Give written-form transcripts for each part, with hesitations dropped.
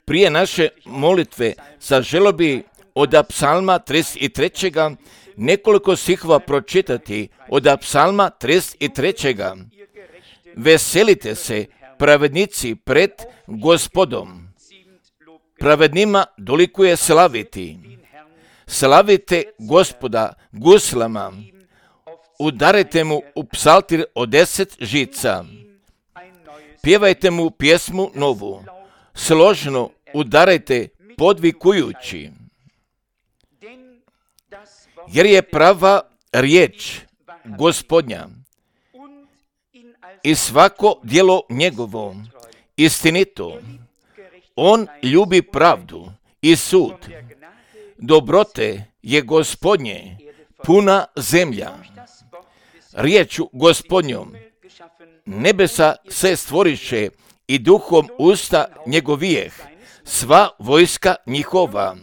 Prije naše molitve zaželio bi od psalma 33. nekoliko stihova pročitati od psalma 33. Veselite se, pravednici, pred Gospodom. Pravednima dolikuje slaviti. Slavite Gospoda guslama. Udarite mu u psaltir od 10 žica. Pjevajte mu pjesmu novu. Složno udarajte podvikujući. Jer je prava riječ Gospodnja i svako djelo njegovo istinito. On ljubi pravdu i sud. Dobrote je Gospodnje puna zemlja. Riječu Gospodnjom nebesa se stvoriše i duhom usta njegovijeh, sva vojska njihova.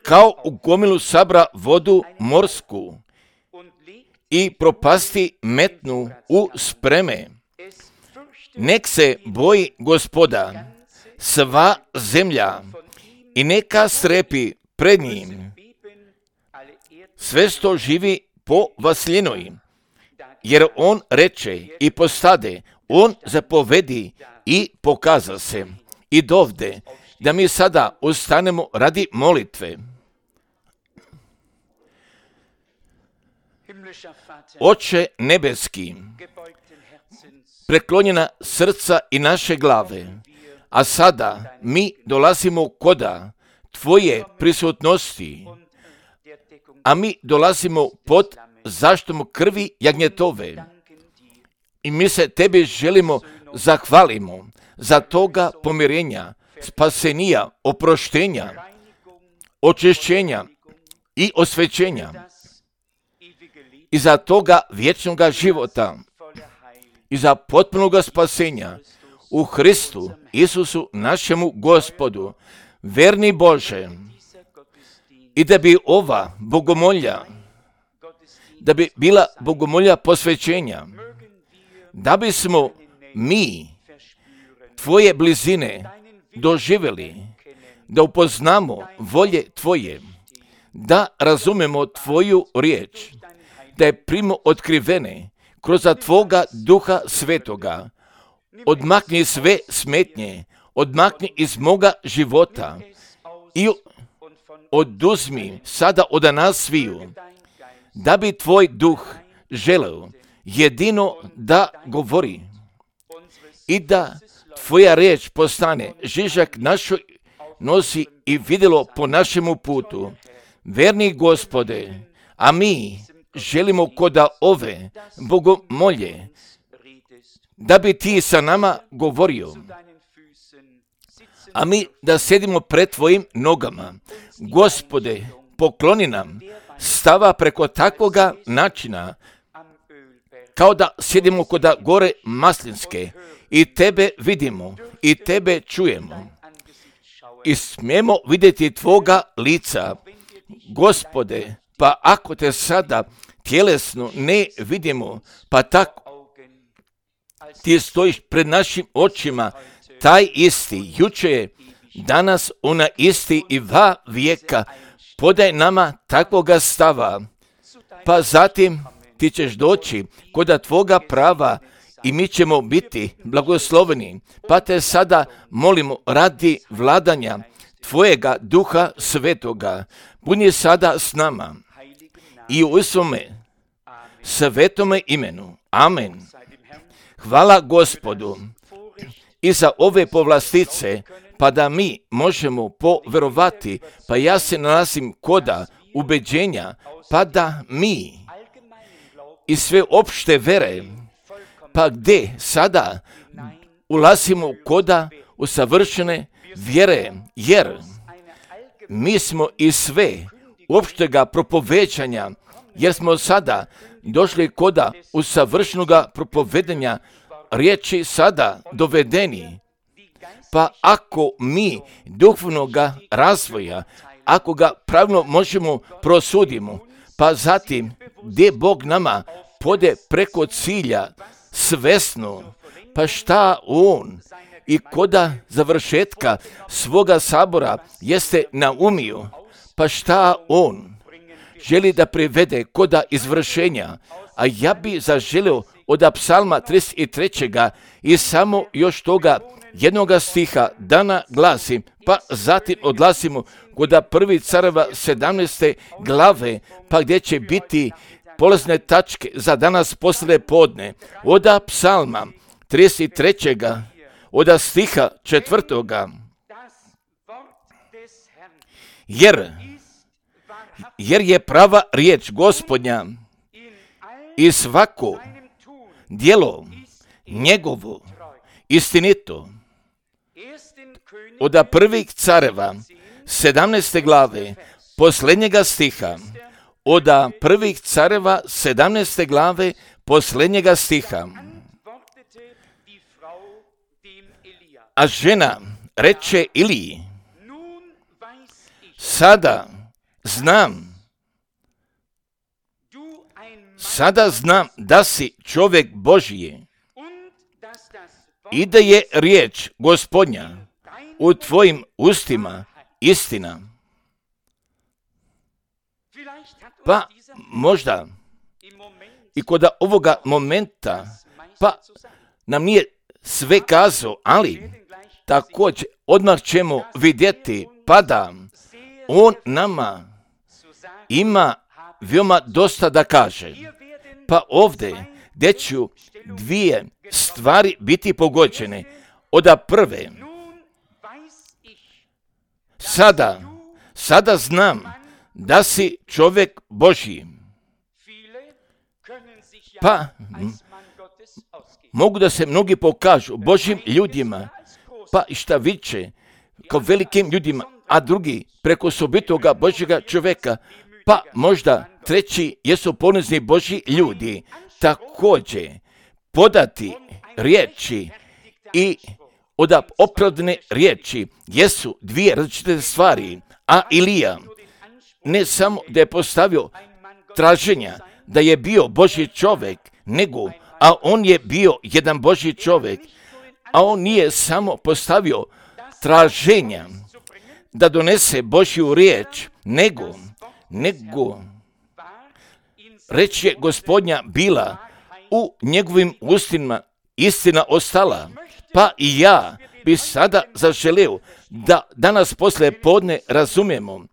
Kao u gomilu sabra vodu morsku i propasti metnu u spreme. Nek se boji Gospoda sva zemlja i neka strepi pred njim sve što živi po vaslinoj. Jer on reče i postade, on zapovedi i pokaza se. I dovde da mi sada ustanemo radi molitve. Oče nebeski, preklonjena srca i naše glave, a sada mi dolazimo koda Tvoje prisutnosti, a mi dolazimo pod zaštitom krvi jagnjetove. I mi se Tebi želimo zahvalimo za toga pomirenja, spasenija, oproštenja, očišćenja i osvećenja. I za toga vječnoga života i za potpunoga spasenja u Hristu Isusu našemu Gospodu, verni Bože, i da bi ova bogomolja, da bi bila bogomolja posvećenja, da bismo mi Tvoje blizine doživjeli, da upoznamo volje Tvoje, da razumemo Tvoju riječ, da je primo otkrivene kroz Tvoga Duha Svetoga. Odmakni sve smetnje, odmakni iz moga života i oduzmi sada od nas sviju, da bi Tvoj Duh želeo jedino da govori i da Tvoja riječ postane žižak našoj nosi i vidjelo po našemu putu. Verni Gospode, a mi želimo koda ove bogomolje, da bi Ti sa nama govorio, a mi da sjedimo pred Tvojim nogama. Gospode, pokloni nam stava preko takvoga načina, kao da sjedimo koda gore Maslinske i Tebe vidimo i Tebe čujemo i smijemo vidjeti Tvoga lica. Gospode, pa ako Te sada tjelesno ne vidimo, pa tako Ti stojiš pred našim očima, taj isti, juče, danas, ona isti i va vijeka, podaj nama takvoga stava, pa zatim Ti ćeš doći koda Tvoga prava i mi ćemo biti blagosloveni, pa Te sada molimo radi vladanja Tvojega Duha Svetoga, budi sada s nama i u svome svetome imenu. Amen. Hvala Gospodu i za ove povlastice, pa da mi možemo poverovati, pa ja se nalazim koda ubeđenja, pa da mi i sve opšte vere, pa gdje sada ulazimo koda usavršene vjere, jer mi smo i sve opštega propoveđanja, jer smo sada došli koda usavršenoga propovedanja riječi sada dovedeni. Pa ako mi duhovnoga razvoja, ako ga pravilno možemo prosudimo, pa zatim gdje Bog nama pode preko cilja svesno, pa šta On i koda završetka svoga sabora jeste naumio, pa šta on želi da privede koda izvršenja, a ja bi zaželio od psalma 33. i samo još toga jednoga stiha dana glasim, pa zatim odlasimo kod prvi careva 17. glave, pa gdje će biti polazne tačke za danas poslije podne. Od psalma 33. od stiha 4. Jer je prava riječ Gospodnja i svako djelo njegovo istinito. Od prvih careva 17. glave posljednjega stiha, od prvih careva 17. glave posljednjega stiha. A žena reče Iliji, sada znam da si čovjek Božji i da je riječ Gospodnja u tvojim ustima istina. Pa možda i kod ovoga momenta pa nam nije sve kazao, ali također odmah ćemo vidjeti pa da on nama ima veoma dosta da kaže. Pa ovdje gdje ću dvije stvari biti pogođene. Od prve, sada znam da si čovjek Božji. Pa mogu da se mnogi pokažu Božjim ljudima, pa i šta viče kao velikim ljudima, a drugi preko osobitoga Božjega čovjeka, pa možda treći jesu ponizni Božji ljudi. Također podati riječi i od opravdane riječi jesu dvije različite stvari, a Ilija ne samo da je postavio traženja da je bio Božji čovjek, nego, a on je bio jedan Božji čovjek, a on nije samo postavio traženja da donese Božju riječ, nego reč je Gospodnja bila u njegovim ustima, istina ostala. Pa i ja bi sada zaželio da danas poslije podne razumijemo,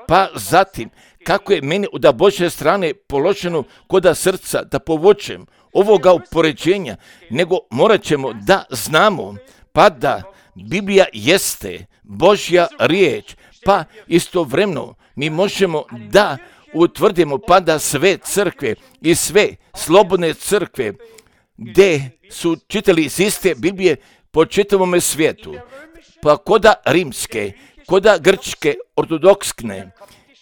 pa zatim kako je meni od Božje strane položeno koda srca da povučem ovoga upoređenja, nego morat ćemo da znamo pa da Biblija jeste Božja riječ, pa istovremeno mi možemo da utvrdimo pa da sve crkve i sve slobodne crkve gdje su čitali iz iste Biblije po čitavome svijetu, pa koda rimske, koda grčke, ortodokskne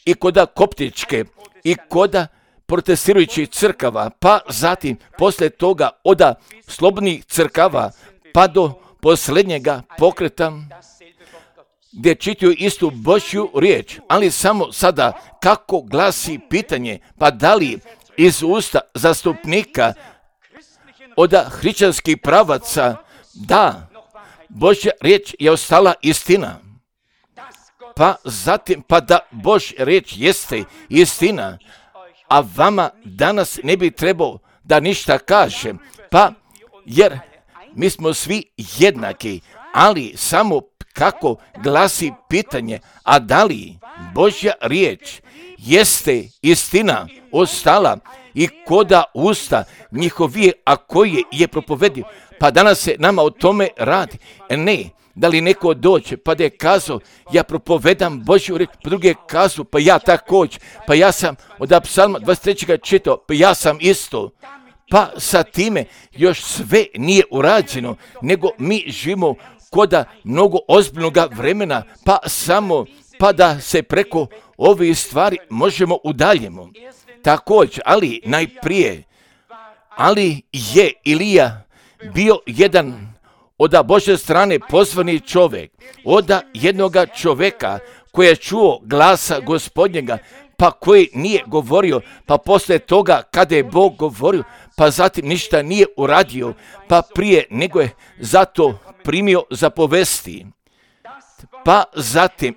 i koda koptičke i koda protestirajućih crkava, pa zatim poslije toga od slobodnih crkava pa do posljednjega pokreta gdje čitaju istu Božju riječ, ali samo sada kako glasi pitanje, pa da li iz usta zastupnika od hrišćanskih pravaca da Božja riječ je ostala istina, pa zatim pa da Božja riječ jeste istina, a vama danas ne bi trebao da ništa kažem, pa jer mi smo svi jednaki, ali samo kako glasi pitanje, a da li Božja riječ jeste istina ostala i koda usta njihovije, a koje je propovedio. Pa danas se nama o tome radi. Ne, da li neko dođe pa da je kazao ja propovedam Božju riječ, pa drugi je kazao pa ja također, pa ja sam od psalma 23. čitao, pa ja sam isto. Pa sa time još sve nije urađeno, nego mi živimo koda mnogo ozbiljnoga vremena, pa samo pa da se preko ovih stvari možemo udaljimo. Također, ali najprije, ali je Ilija bio jedan od Božje strane pozvani čovjek, od jednoga čovjeka koji je čuo glasa Gospodnjega, pa koji nije govorio, pa poslije toga kada je Bog govorio, pa zatim ništa nije uradio, pa prije nego je zato primio zapovesti, pa zatim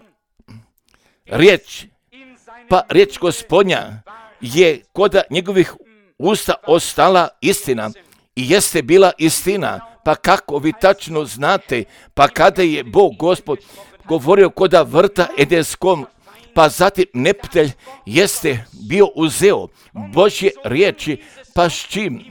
riječ Gospodnja je kod njegovih usta ostala istina i jeste bila istina. Pa kako vi tačno znate, pa kada je Bog Gospod govorio kod vrta Edenskom, pa zatim neptelj jeste bio uzeo Božje riječi, pa s čim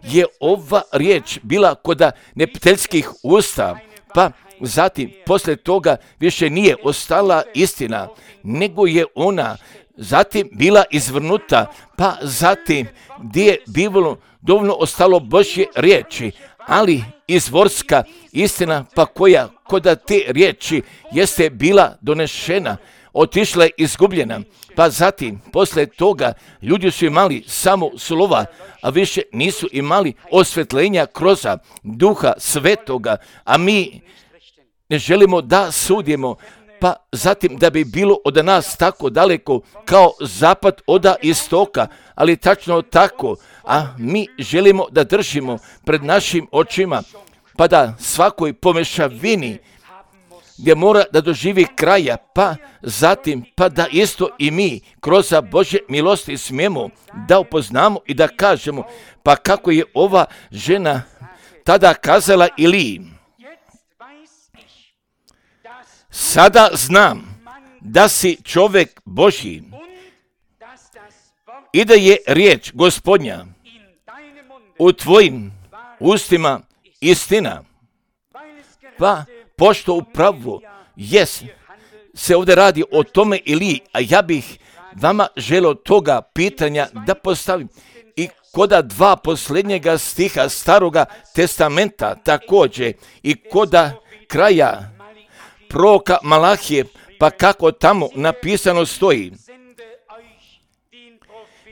je ova riječ bila kod nepteljskih usta, pa zatim poslije toga više nije ostala istina, nego je ona zatim bila izvrnuta, pa zatim gdje je bilo dovoljno ostalo Božje riječi, ali izvorska istina, pa koja kod te riječi jeste bila donešena, otišla je izgubljena, pa zatim poslije toga ljudi su imali samo slova, a više nisu imali osvetljenja kroz Duha Svetoga, a mi ne želimo da sudimo, pa zatim da bi bilo od nas tako daleko kao zapad od istoka, ali tačno tako, a mi želimo da držimo pred našim očima, pa da svakoj pomešavini gdje mora da doživi kraja, pa zatim, pa da isto i mi kroz Božje milosti smijemo da upoznamo i da kažemo, pa kako je ova žena tada kazala Iliji. Sada znam da si čovjek Božji i da je riječ Gospodnja u tvojim ustima istina. Pa pošto upravo se ovdje radi o tome Iliji, a ja bih vama želio toga pitanja da postavim i koda dva posljednjega stiha Staroga testamenta također i koda kraja proroka Malahije, pa kako tamo napisano stoji.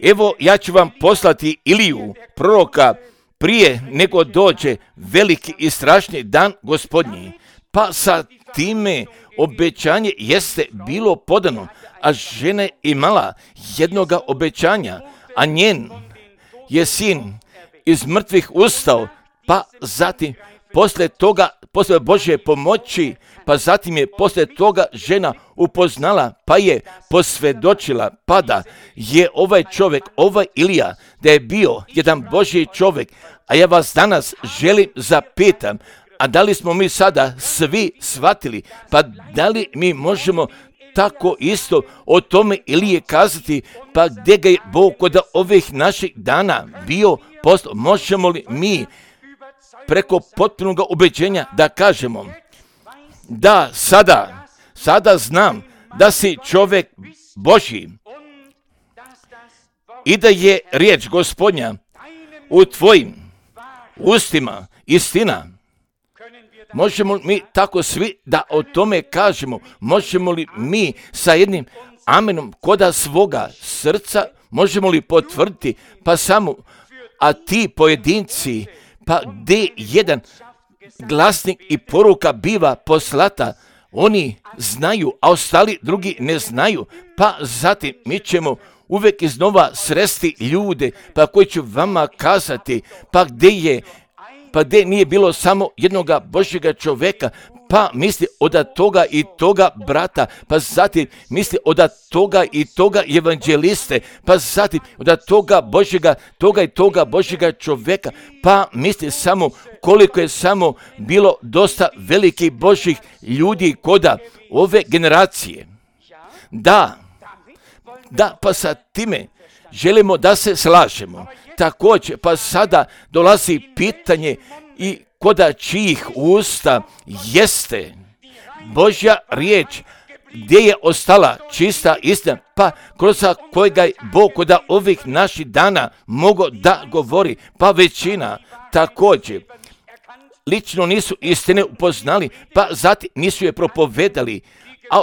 Evo, ja ću vam poslati Iliju, proroka, prije nego dođe veliki i strašni dan Gospodnji. Pa sa time obećanje jeste bilo podano, a žena je imala jednoga obećanja, a njen je sin iz mrtvih ustao, pa zatim poslije toga, poslije Božje pomoći, pa zatim je poslije toga žena upoznala, pa je posvjedočila, pa da je ovaj čovjek, ovaj Ilija, da je bio jedan Božji čovjek, a ja vas danas želim zapitam, a da li smo mi sada svi shvatili, pa da li mi možemo tako isto o tome Ilije kazati, pa gdje ga je Bog kod ovih naših dana bio poslao, možemo li mi preko potpunog ubeđenja da kažemo da sada znam da si čovjek Božji i da je riječ Gospodnja u tvojim ustima istina. Možemo li mi tako svi da o tome kažemo? Možemo li mi sa jednim amenom koda svoga srca, možemo li potvrditi, pa samo, a ti pojedinci, pa gdje jedan glasnik i poruka biva poslata, oni znaju, a ostali drugi ne znaju, pa zatim mi ćemo uvijek iznova sresti ljude, pa koji ću vama kazati, pa gdje nije bilo samo jednoga Božjega čovjeka, pa misli od toga i toga brata, pa zatim misli od toga i toga evanđeliste, pa zatim od toga Božjega, toga i toga Božjega čovjeka, pa misli samo koliko je samo bilo dosta velikih Božjih ljudi koda ove generacije. Da, pa sa time želimo da se slažemo. Također, pa sada dolazi pitanje i koda čijih usta jeste Božja riječ, gdje je ostala čista istina, pa kroz kojega je Bog kod ovih naših dana mogao da govori, pa većina također lično nisu istine upoznali, pa zatim nisu je propovedali, a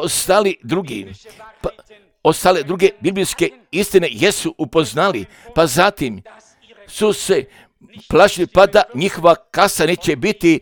ostale druge biblijske istine jesu upoznali, pa zatim su se plašili, pa da njihova kasa neće biti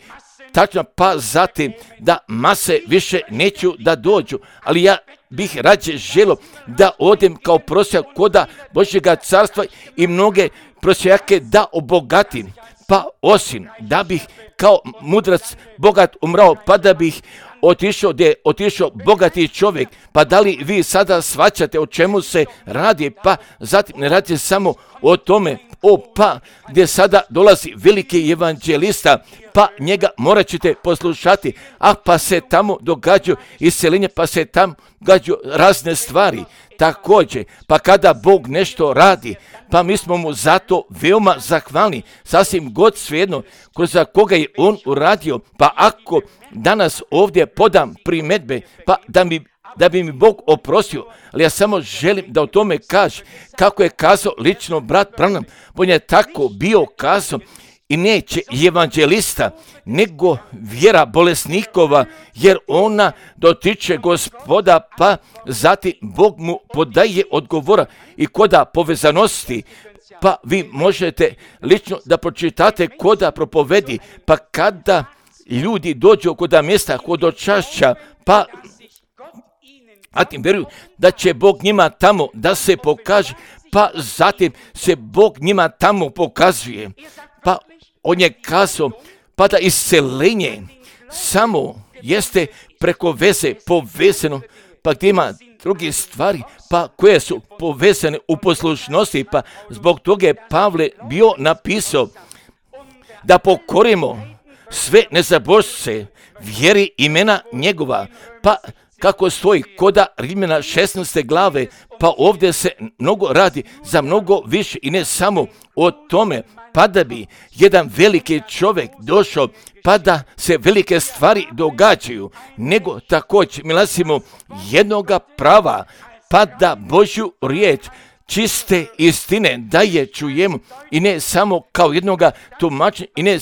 tačno, pa zatim da mase više neću da dođu, ali ja bih rađe želio da odem kao prosjak koda Božjega carstva i mnoge prosjake da obogatim, pa osim da bih kao mudrac bogat umrao, pa da bih otišao gdje je otišao bogati čovjek. Pa da li vi sada shvaćate o čemu se radi? Pa zatim ne radi samo o tome, pa gdje sada dolazi veliki evanđelista, pa njega morat ćete poslušati, pa se tamo događaju iseljenje, pa se tamo događaju razne stvari. Također, pa kada Bog nešto radi, pa mi smo mu zato veoma zahvalni, sasvim god svejedno kroz koga je on uradio. Pa ako danas ovdje podam primjedbe, pa da bi mi Bog oprostio, ali ja samo želim da o tome kaže, kako je kazao lično brat Branham, on je tako bio kazao, i neće evanđelista, nego vjera bolesnikova, jer ona dotiče Gospoda, pa zatim Bog mu podaje odgovora i koda povezanosti. Pa vi možete lično da pročitate koda propovedi, pa kada ljudi dođu koda mjesta hodočašća, pa zatim vjeruju da će Bog njima tamo da se pokaže, pa zatim se Bog njima tamo pokazuje. Pa on je kazao, pa da iscelenje samo jeste preko veze povezano, pa gdje ima druge stvari, pa koje su povezane u poslušnosti, pa zbog toga je Pavle bio napisao da pokorimo sve nezabožce vjeri imena njegova, pa kako stoji koda Rimljana 16. glave, pa ovdje se mnogo radi za mnogo više i ne samo o tome, pa da bi jedan veliki čovjek došao, pa da se velike stvari događaju, nego također mi lasimo jednoga prava, pa da Božju riječ čiste istine da je čujemo i ne samo kao jednoga tumačenja i ne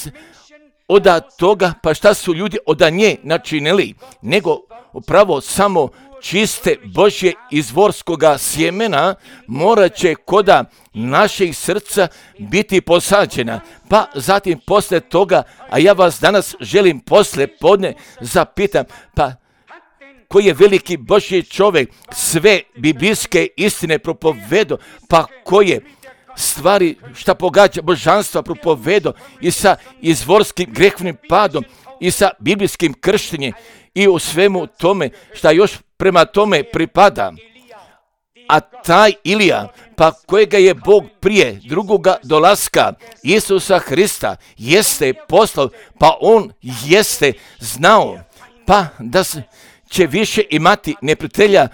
od toga, pa šta su ljudi od nje načinili, nego upravo samo čiste Božje izvorskoga sjemena morat će koda naših srca biti posađena. Pa zatim posle toga, a ja vas danas želim posle podne zapitam, pa koji je veliki Božji čovjek sve biblijske istine propovedo, pa koje stvari šta pogađa božanstva propovedo i sa izvorskim grehovnim padom i sa biblijskim krštenjem i u svemu tome šta još prema tome pripada. A taj Ilija, pa kojega je Bog prije drugoga dolaska Isusa Hrista jeste poslao, pa on jeste znao, pa da će više imati neprijatelja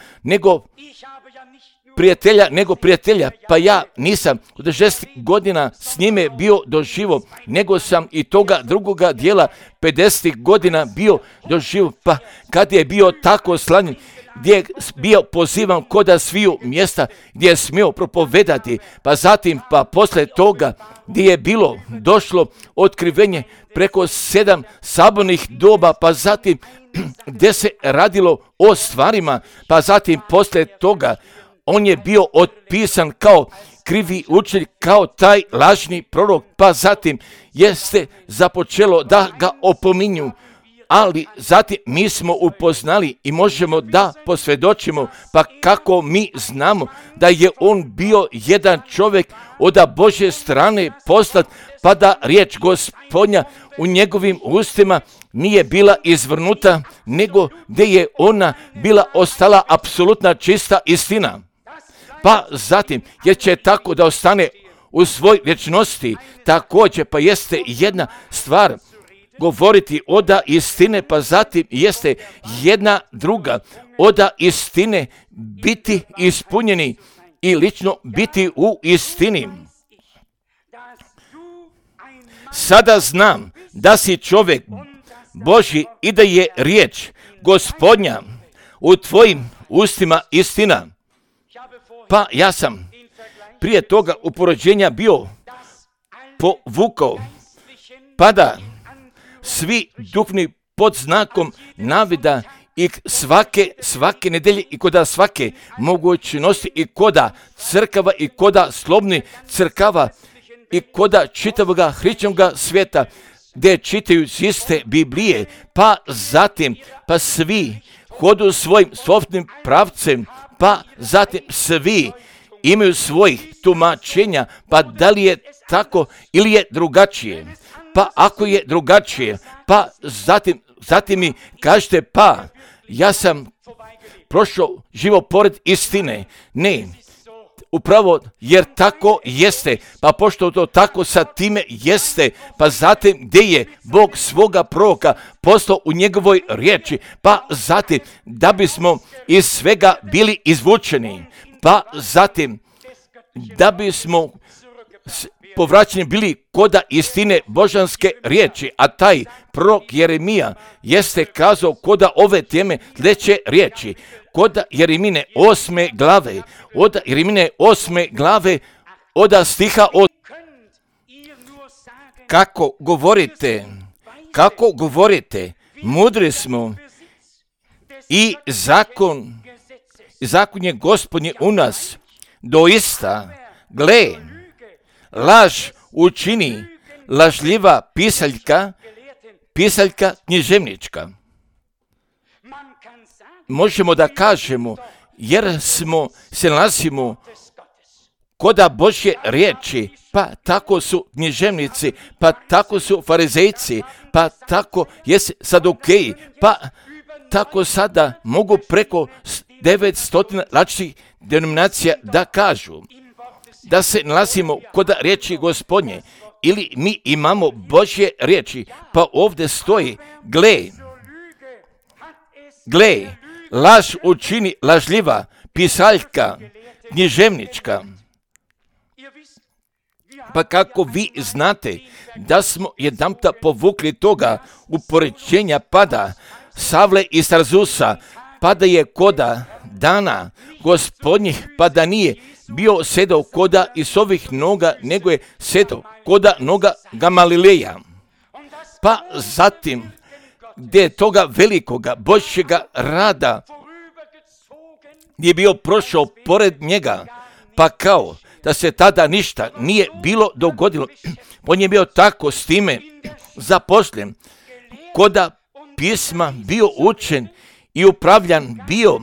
nego prijatelja, pa ja nisam od 60 godina s njime bio doživo, nego sam i toga drugoga dijela 50 godina bio doživo, pa kad je bio tako slanjen, gdje je bio pozivan koda sviju mjesta, gdje je smio propovedati, pa zatim, pa posle toga, gdje je bilo došlo otkrivenje preko 7 sabornih doba, pa zatim gdje se radilo o stvarima, pa zatim posle toga, on je bio otpisan kao krivi učitelj, kao taj lažni prorok, pa zatim jeste započelo da ga opominju, ali zatim mi smo upoznali i možemo da posvjedočimo, pa kako mi znamo da je on bio jedan čovjek od Božje strane poslat, pa da riječ Gospodnja u njegovim ustima nije bila izvrnuta, nego gdje je ona bila ostala apsolutna čista istina. Pa zatim, jer će tako da ostane u svoj vječnosti, također pa jeste jedna stvar govoriti oda istine, pa zatim jeste jedna druga oda istine biti ispunjeni i lično biti u istini. Sada znam da si čovjek Božji i da je riječ Gospodnja u tvojim ustima istina. Pa ja sam prije toga uporođenja bio povukao, pa da svi duhovni pod znakom navida i svake nedelje i koda svake mogućnosti i koda crkava i koda slobni crkava i koda čitavoga hrišćanoga svijeta gdje čitaju iz iste Biblije, pa zatim, pa svi hodu svojim sobstvenim pravcem, pa zatim svi imaju svojih tumačenja, pa da li je tako ili je drugačije. Pa ako je drugačije, pa zatim mi kažete, pa ja sam prošao živo pored istine. Ne, upravo jer tako jeste, pa pošto to tako sa time jeste, pa zatim gdje je Bog svoga proroka poslao u njegovoj riječi, pa zatim da bismo iz svega bili izvučeni, pa zatim da bismo povraćeni bili koda istine božanske riječi, a taj prorok Jeremija jeste kazao koda ove teme sljedeće riječi, koda Jeremine 8. glave, od stiha od kako govorite, mudri smo i zakon je Gospodnji u nas, doista, gle, laž učini lažljiva pisaljka književnička. Možemo da kažemo, jer se nalazimo koda Božje riječi, pa tako su književnici, pa tako su farizejci, pa tako jesu sadukeji, pa tako sada mogu preko 900 različitih denominacija da kažu da se nalazimo kod riječi Gospodnje, ili mi imamo Božje riječi, pa ovdje stoji, gle, laž učini lažljiva pisaljka književnička. Pa kako vi znate da smo jedanputa povukli toga upoređenja pada Savle iz Tarzusa, pa da je koda dana Gospodnjih, pa da nije bio sedao koda iz ovih noga, nego je sedao koda noga Gamalileja. Pa zatim, gdje je toga velikoga Božjega rada je bio prošao pored njega, pa kao da se tada ništa nije bilo dogodilo. On je bio tako s time zaposlen, koda pisma bio učen i upravljan bio,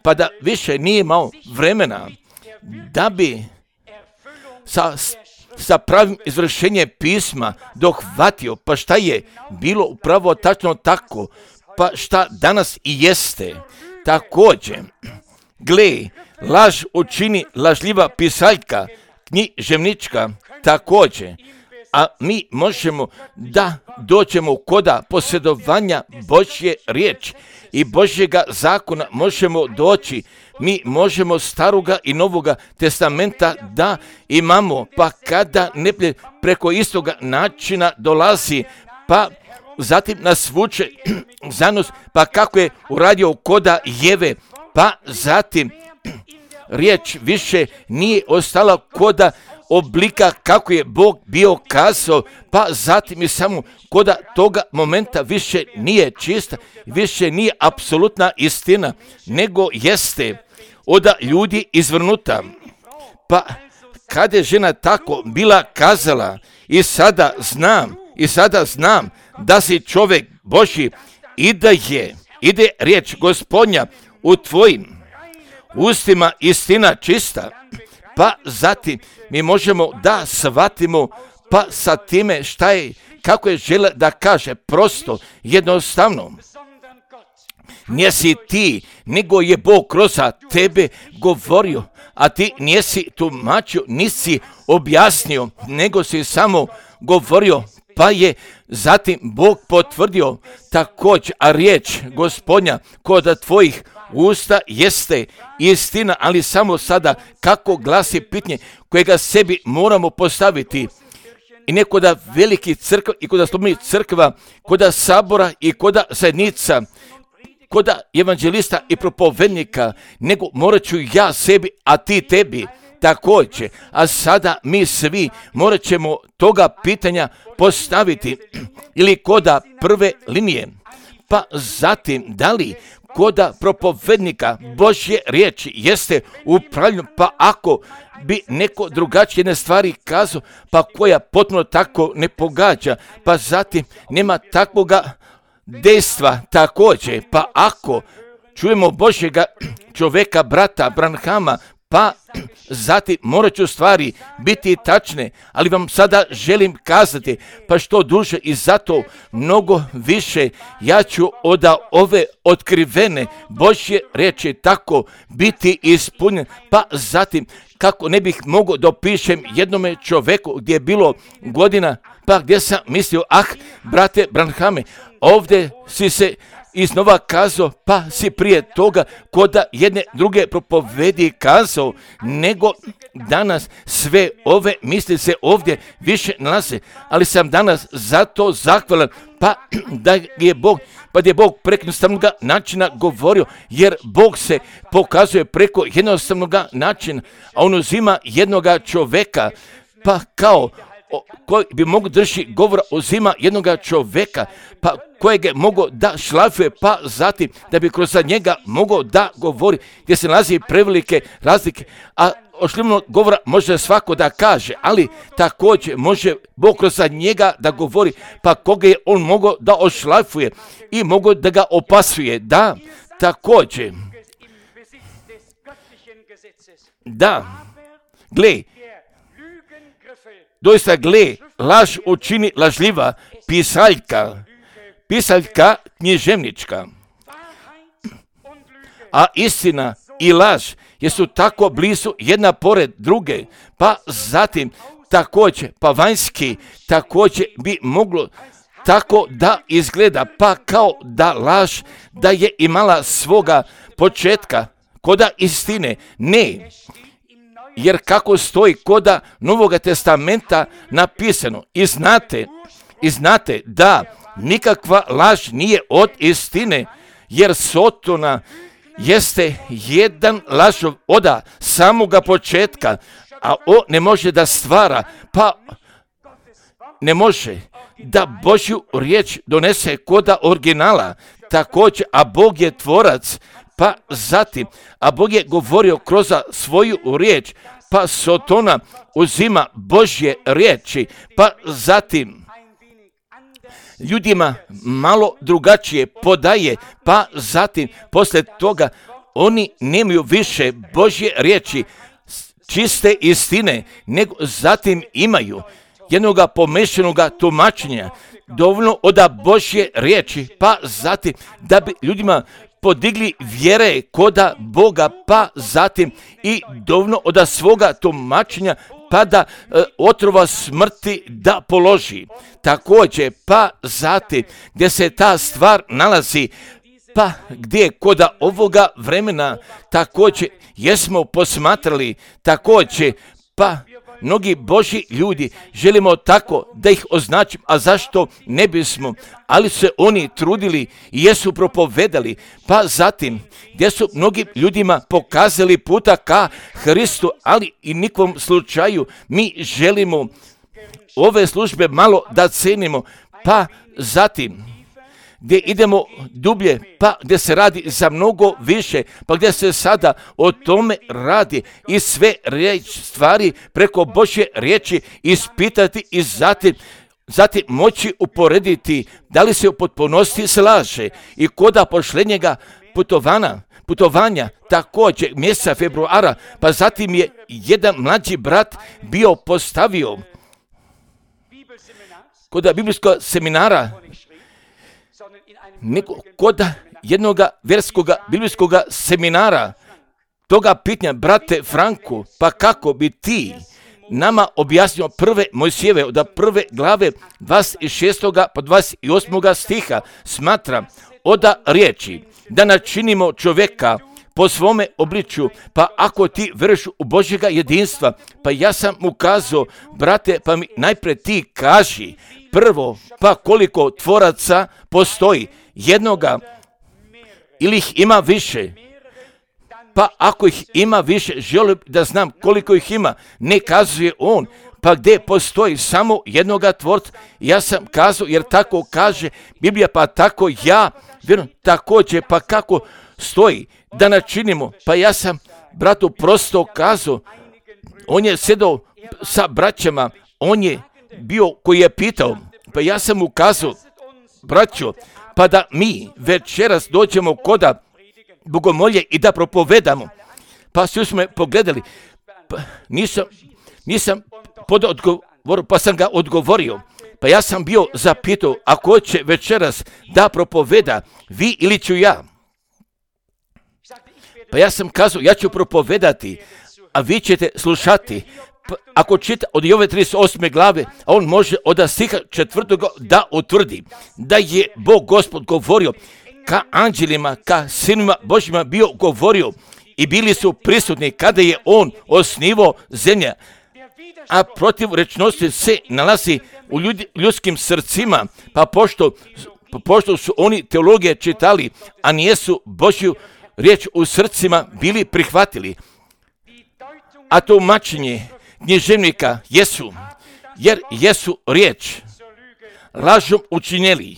pa da više nije imao vremena da bi sa pravim izvršenjem pisma dohvatio, pa šta je bilo upravo tačno tako, pa šta danas i jeste. Također, gle, laž učini lažljiva pisaljka književnička, također, a mi možemo da dođemo koda posjedovanja Božje riječi i Božjega zakona možemo doći. Mi možemo staroga i novoga testamenta da imamo, pa kada neprijatelj preko istoga načina dolazi, pa zatim nas vuče za nos, pa kako je uradio koda Jeve, pa zatim riječ više nije ostala koda oblika kako je Bog bio kazao, pa zatim i samo koda toga momenta više nije čista, više nije apsolutna istina, nego jeste od ljudi izvrnuta. Pa kada je žena tako bila kazala, i sada znam da si čovjek Božji i da ide riječ Gospodnja u tvojim ustima istina čista, pa zatim mi možemo da shvatimo, pa sa time šta je, kako je žele da kaže, prosto, jednostavno. Nisi ti, nego je Bog kroz tebe govorio, a ti nisi tumačio, nisi objasnio, nego si samo govorio, pa je zatim Bog potvrdio također, a riječ Gospodnja kod tvojih usta jeste istina, ali samo sada kako glasi pitanje kojega sebi moramo postaviti. I ne koda veliki crkva i koda slobodnih crkva, koda sabora i koda zajednica, koda evanđelista i propovednika, nego morat ću ja sebi, a ti tebi također. A sada mi svi morat ćemo toga pitanja postaviti ili koda prve linije. Pa zatim, da li koda propovednika Božje riječi jeste upravljeno, pa ako bi neko drugačije jedne stvari kazao, pa koja potpuno tako ne pogađa, pa zatim nema takvoga dejstva također, pa ako čujemo Božjega čovjeka, brata Branhama, pa zatim morat ću stvari biti tačne, ali vam sada želim kazati, pa što duže i zato mnogo više ja ću od ove otkrivene Božje riječi tako biti ispunjen, pa zatim kako ne bih mogao dopišem jednome čovjeku gdje je bilo godina, pa gdje sam mislio, brate Branhame, ovdje si se iznova kazao, pa si prije toga koda jedne druge propovedi kazao, nego danas sve ove misli se ovdje više nalaze, ali sam danas zato zahvalan, pa da je Bog preko jednostavnog načina govorio, jer Bog se pokazuje preko jednostavnog načina, a on uzima jednoga čovjeka, pa kao koji bi mogu drži govora, uzima jednoga čovjeka, pa kojeg je mogao da šlafuje, pa zatim da bi kroz njega mogao da govori, gdje se nalazi prevelike razlike, a ošljivnog govora može svako da kaže, ali također može Bog kroz njega da govori, pa koga je on mogao da ošlafuje i mogao da ga opasuje, da, također, da, gle, doista gle, laž učini lažljiva pisaljka književnička, a istina i laž jesu tako blizu jedna pored druge, pa zatim također, pa vanjski također bi moglo tako da izgleda, pa kao da laž da je imala svoga početka, koda istine ne. Jer kako stoji koda Novoga testamenta napisano, i znate da nikakva laž nije od istine, jer Sotona jeste jedan lažov oda samoga početka, a on ne može da stvara, pa ne može da Božju riječ donese koda originala, također, a Bog je tvorac, pa zatim, a Bog je govorio kroz svoju riječ, pa Sotona uzima Božje riječi, pa zatim ljudima malo drugačije podaje, pa zatim poslije toga oni nemaju više Božje riječi, čiste istine, nego zatim imaju jednoga pomešanoga tumačenja, dovoljno od Božje riječi, pa zatim da bi ljudima podigli vjere koda Boga, pa zatim i dovoljno od svoga tumačenja, pa da otrova smrti da položi. Također, pa zatim gdje se ta stvar nalazi, pa gdje koda ovoga vremena također jesmo posmatrali, također, pa mnogi Božji ljudi želimo tako da ih označim, a zašto ne bismo, ali se oni trudili i jesu propovedali, pa zatim gdje su mnogim ljudima pokazali puta ka Hristu, ali i nikom slučaju mi želimo ove službe malo da cenimo, pa zatim gdje idemo dublje, pa gdje se radi za mnogo više, pa gdje se sada o tome radi i sve stvari preko Božje riječi ispitati i zatim moći uporediti da li se u potpunosti slaže i koda pošljenjega putovanja također mjeseca februara, pa zatim je jedan mlađi brat bio postavio koda biblijskog seminara, koda jednog vjerskog biblijskog seminara, toga pitanja, brate Franku, pa kako bi ti nama objasnio prve Mojsijeve od prve glave 26. pa 28. stiha, smatram od riječi da načinimo čovjeka po svome obličju, pa ako ti vjeruješ u Božjega jedinstva, pa ja sam mu kazao, brate, pa mi najprije ti kaži prvo, pa koliko tvoraca postoji, jednoga ili ih ima više, pa ako ih ima više, želim da znam koliko ih ima, ne kazuje on, pa gdje postoji samo jednoga tvorca, ja sam kazao, jer tako kaže Biblija, pa tako ja vjerujem, također, pa kako stoji da načinimo. Pa ja sam bratu prosto kazao, on je sedao sa braćama, on je bio koji je pitao, pa ja sam mu kazao, braćo, pa da mi večeras dođemo koda bogomolje i da propovedamo. Pa svi smo me pogledali, pa nisam podao odgovor, pa sam ga odgovorio. Pa ja sam bio zapitao, ako će večeras da propoveda, vi ili ću ja? Pa ja sam kazao, ja ću propovedati, a vi ćete slušati. Pa ako čita od Jove 38. glave, a on može od stiha 4. da utvrdi da je Bog Gospod govorio ka anđelima, ka sinima Božjima bio govorio i bili su prisutni kada je on osnivao zemlja. A protivrečnosti se nalazi u ljudskim srcima, pa pošto su oni teologije čitali, a nijesu Božju riječ u srcima bili prihvatili. A tumačenje književnika jer jesu riječ lažom učinjeli,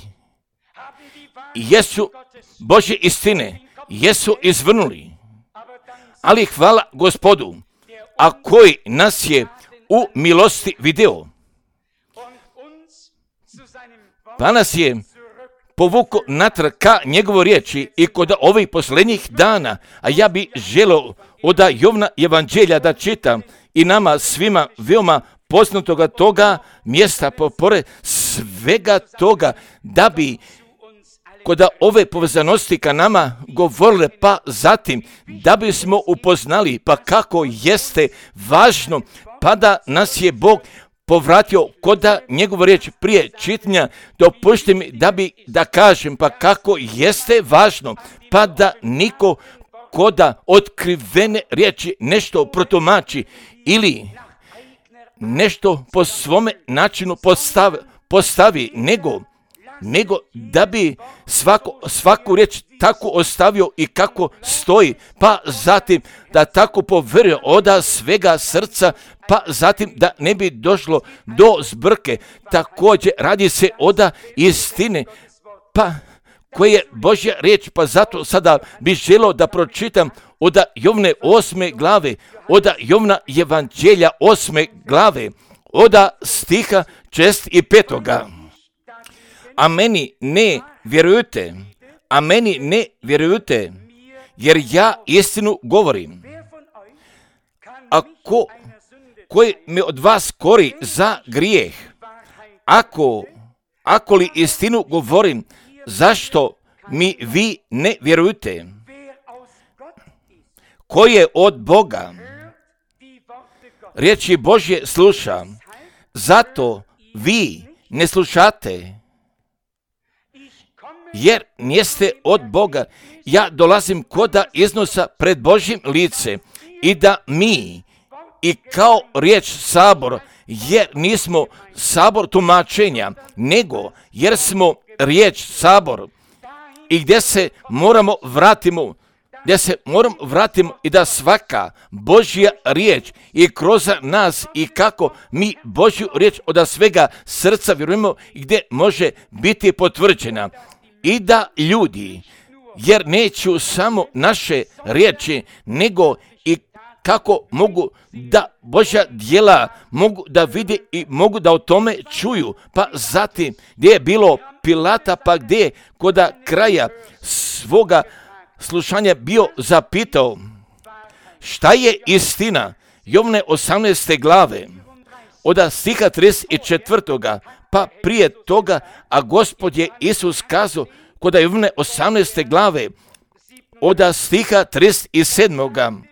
jesu Božje istine, jesu izvrnuli. Ali hvala Gospodu, a koji nas je u milosti video, pa nas je povukao natrag ka njegovo riječi i kod ovih posljednjih dana, a ja bi želio od Jovna evanđelja da čitam i nama svima veoma poznatoga toga mjesta, pored svega toga, da bi kod ove povezanosti ka nama govorile, pa zatim da bismo upoznali pa kako jeste važno, pa da nas je Bog povratio koda njegovu riječ prije čitanja. Dopušti mi da kažem pa kako jeste važno, pa da niko koda otkrivene riječi nešto protumači ili nešto po svome načinu postavi, nego da bi svaku riječ tako ostavio i kako stoji, pa zatim da tako povjerio od svega srca, pa zatim da ne bi došlo do zbrke. Također radi se od istine, pa koje je Božja riječ, pa zato sada bi želio da pročitam od Jovne 8. glave, od Jovna evanđelja 8. glave, od stiha 6. i 5. A meni ne vjerujete, jer ja istinu govorim. A koji me od vas kori za grijeh? Ako li istinu govorim, zašto mi vi ne vjerujete? Ko je od Boga riječi Božje sluša, zato vi ne slušate. Jer niste od Boga. Ja dolazim koda iznosa pred Božjim lice i da mi i kao riječ sabor, jer nismo sabor tumačenja, nego jer smo riječ sabor i gdje se moramo vratimo i da svaka Božja riječ i kroz nas i kako mi Božju riječ od svega srca vjerujemo i gdje može biti potvrđena. I da ljudi, jer neću samo naše riječi, nego i kako mogu da Božja djela mogu da vide i mogu da o tome čuju. Pa zatim gdje je bilo Pilata, pa gdje je kod kraja svoga slušanja bio zapitao, šta je istina? Jovne 18. glave, od stiha 34. Pa prije toga, a Gospod je Isus kazao kod Jovne 18. glave, od stiha 37.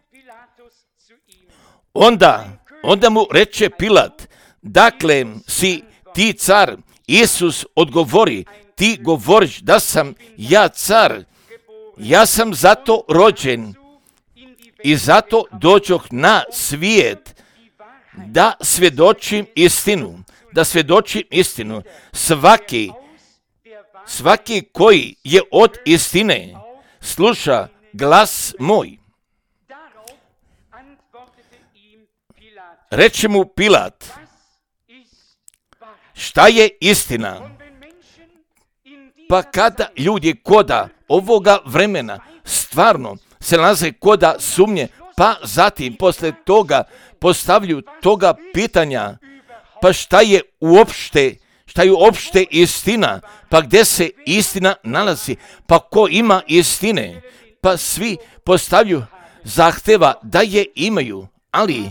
Onda mu reče Pilat, dakle si ti car? Isus odgovori, ti govoriš da sam ja car, ja sam zato rođen i zato dođoh na svijet da svjedočim istinu. Svaki koji je od istine sluša glas moj. Reče mu Pilat, šta je istina? Pa kada ljudi koda ovoga vremena stvarno se nalaze koda sumnje, pa zatim posle toga postavljaju toga pitanja, pa šta je uopšte istina, pa gdje se istina nalazi, pa ko ima istine, pa svi postavljaju zahteva da je imaju, ali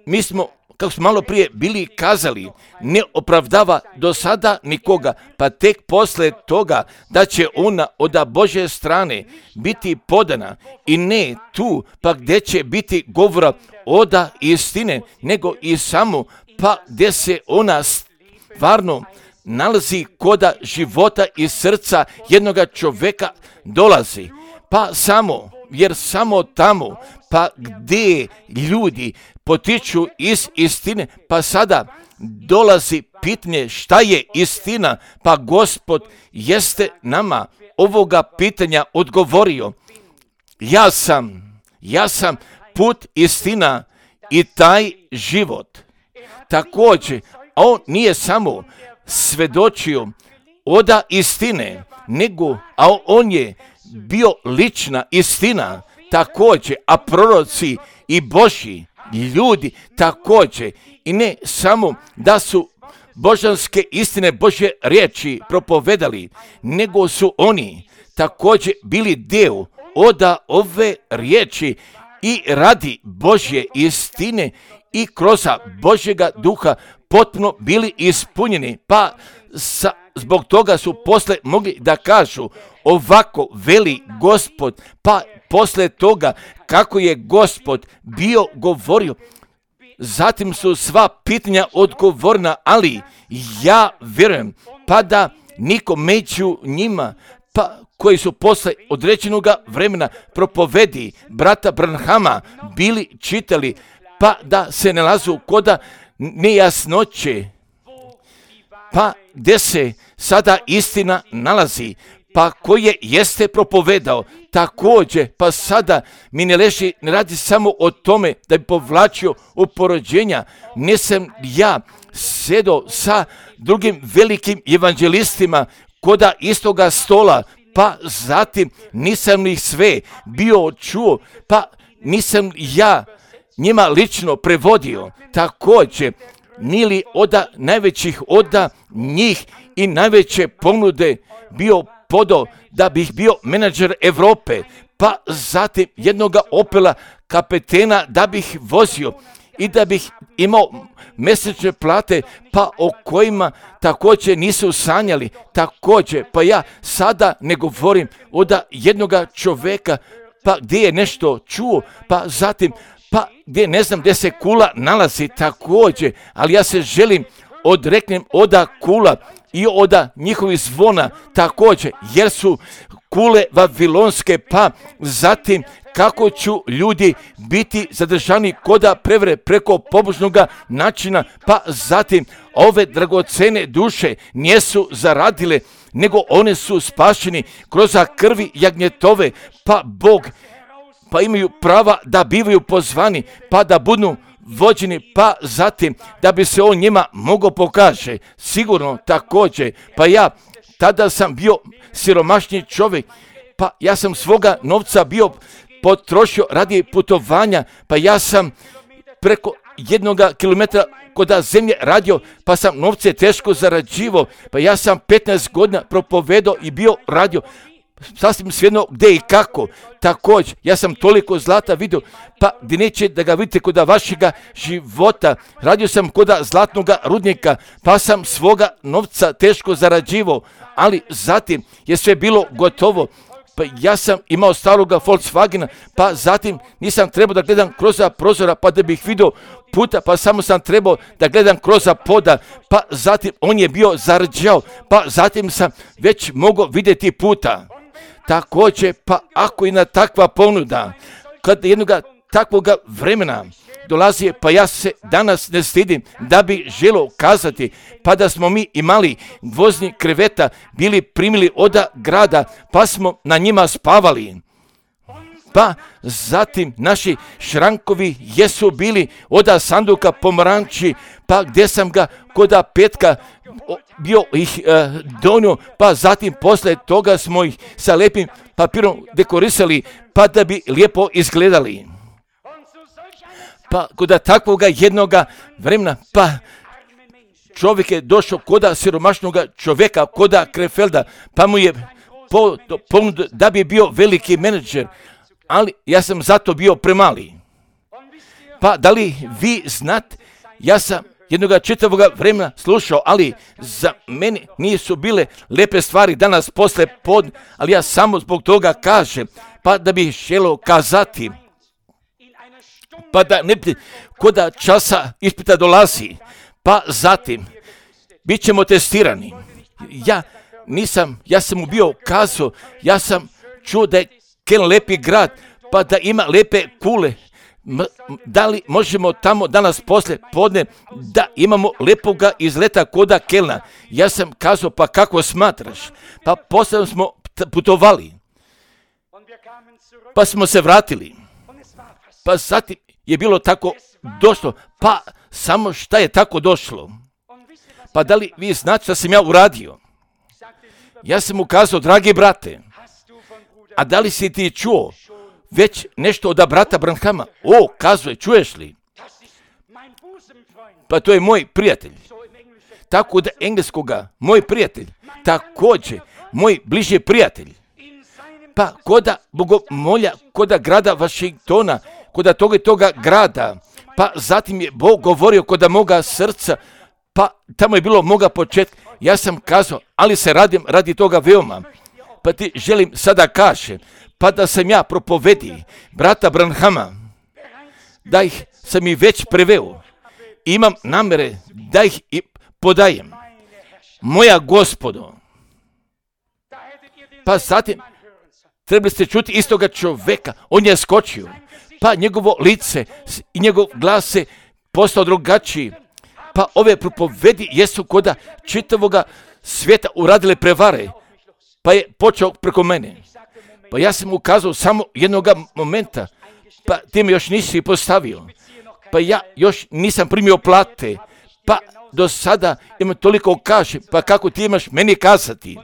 mi smo, kako smo malo prije bili kazali, ne opravdava do sada nikoga, pa tek posle toga da će ona od Božje strane biti podana i ne tu, pa gdje će biti govora od istine, nego i samo, pa gdje se ona stvarno nalazi koda života i srca jednoga čovjeka dolazi, pa samo, jer samo tamo, pa gdje ljudi potiču iz istine, pa sada dolazi pitanje šta je istina, pa Gospod jeste nama ovoga pitanja odgovorio. Ja sam put, istina i taj život. Također, on nije samo svedočio od istine, nego on je bio lična istina također, a proroci i Božji ljudi također, i ne samo da su božanske istine Božje riječi propovedali, nego su oni također bili dio od ove riječi i radi Božje istine i kroz Božjega duha potpuno bili ispunjeni, pa zbog toga su posle mogli da kažu ovako veli Gospod, pa posle toga kako je Gospod bio govorio, zatim su sva pitanja odgovorna, ali ja vjerujem pa da niko među njima, pa koji su posle određenog vremena propovedi brata Branhama bili čitali, pa da se nalazu koda nejasnoće, pa gdje se sada istina nalazi, pa koje jeste propovedao također, pa sada mi ne radi samo o tome da bi povlačio uporođenja, nisam ja sedo sa drugim velikim evanđelistima koda istoga stola, pa zatim nisam ih sve bio čuo, pa nisam ja njima lično prevodio, također nili od najvećih od njih i najveće ponude bio podao da bih bio menadžer Europe, pa zatim jednoga Opela kapetena da bih vozio i da bih imao mjesečne plate, pa o kojima također nisu sanjali, također, pa ja sada ne govorim od jednoga čovjeka, pa gdje je nešto čuo, pa zatim pa gdje ne znam gdje se kula nalazi također, ali ja se želim odreknem od kula i od njihovih zvona također, jer su kule vavilonske, pa zatim kako ću ljudi biti zadržani koda prevre preko pobožnog načina, pa zatim ove dragocene duše nisu zaradile, nego one su spašeni kroz krvi jagnjetove, pa Bog, pa imaju prava da bivaju pozvani, pa da budu vođeni, pa zatim da bi se on njima mogao pokaže, sigurno također, pa ja tada sam bio siromašni čovjek, pa ja sam svoga novca bio potrošio radi putovanja, pa ja sam preko 1 kilometra kod zemlje radio, pa sam novce teško zarađivao, pa ja sam 15 godina propovedao i bio radio, sasvim svejedno gdje i kako. Također, ja sam toliko zlata vidio, pa gdje neće da ga vidite kod vašega života. Radio sam kod zlatnog rudnika, pa sam svoga novca teško zarađivao, ali zatim je sve bilo gotovo. Pa ja sam imao staroga Volkswagena, pa zatim nisam trebao da gledam kroz prozora, pa da bih vidio puta, pa samo sam trebao da gledam kroz poda, pa zatim on je bio zarđao, pa zatim sam već mogao vidjeti puta. Također, pa ako i na takva ponuda, kad jednoga takvoga vremena dolazi, pa ja se danas ne stidim da bi želio kazati, pa da smo mi imali vozni kreveta, bili primili od grada, pa smo na njima spavali. pa zatim naši šrankovi jesu bili od sanduka pomaranči, pa gdje sam ga koda petka bio ih donio, pa zatim posle toga smo ih sa lijepim papirom dekorisali, pa da bi lijepo izgledali. Pa koda takvoga jednoga vremena, pa čovjek je došao koda siromašnoga čovjeka, koda Krefelda, pa mu je ponudio da bi bio veliki menadžer, ali ja sam zato bio premali. Pa da li vi znate, ja sam jednoga čitavoga vremena slušao, ali za mene nisu bile lepe stvari danas posle podne, ali ja samo zbog toga kažem, pa da bih želio kazati, pa da ne bi koda časa ispita dolazi, pa zatim bit ćemo testirani. Ja sam mu bio kazao, ja sam čuo da je Keln lepi grad, pa da ima lepe kule. Da li možemo tamo danas posle podne da imamo lepoga izleta koda Kelna? Ja sam kazao, pa kako smatraš? Pa posle smo putovali, pa smo se vratili, pa zatim je bilo tako došlo, pa samo šta je tako došlo? Pa da li vi znate šta sam ja uradio? Ja sam mu kazao, dragi brate, a da li si ti čuo već nešto od brata Branhama? O, kazuje, čuješ li? Pa to je moj prijatelj. Tako da engleskoga, moj prijatelj, također, moj bliži prijatelj. Pa koda bogomolja, koda grada Washingtona, koda toga grada, pa zatim je Bog govorio koda moga srca, pa tamo je bilo moga početka. Ja sam kazao, ali se radim radi toga veoma. Pa ti želim sada kažem, pa da sam ja propovedi brata Branhama, da ih sam i već preveo. Imam namere da ih i podajem. Moja Gospodo. Pa zatim trebali ste čuti istoga čoveka, on je skočio, pa njegovo lice i njegov glas se postao drugačiji. Pa ove propovedi jesu koda čitavoga svijeta uradile prevare, pa je počeo preko mene. Pa ja sam ukazao samo jednoga momenta, pa ti me još nisi postavio, pa ja još nisam primio plate, pa do sada imam toliko kažem, pa kako ti imaš meni kazati?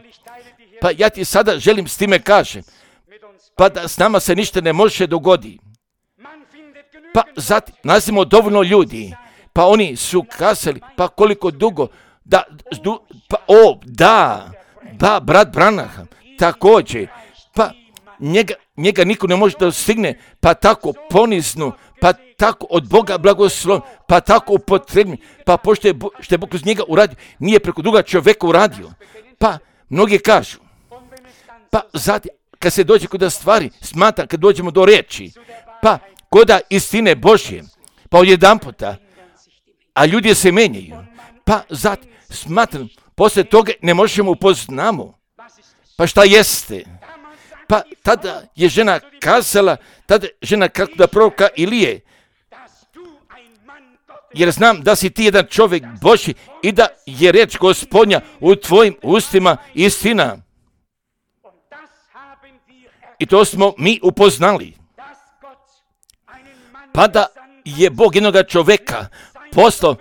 Pa ja ti sada želim s time kažem, pa da s nama se ništa ne može dogoditi. Pa zatim nalazimo dovoljno ljudi, pa oni su kazali, pa koliko dugo, brat Branham, također, pa njega niko ne može da stigne, pa tako poniznu, pa tako od Boga blagoslov, pa tako upotrebni, pa pošto je Bog kroz njega uradio, nije preko druga čovjeka uradio. Pa mnogi kažu, pa zatim, kad se dođe kod stvari, smatra kad dođemo do riječi, pa koda istine Božje, pa odjedan puta, a ljudi se menjaju, pa zatim smatram, poslije toga ne možemo upoznamo, pa šta jeste? Pa tada je žena kazala, kako da proroka Ilije, jer znam da si ti jedan čovjek Božji i da je riječ Gospodnja u tvojim ustima istina. I to smo mi upoznali. Pa da je Bog jednoga čovjeka poslao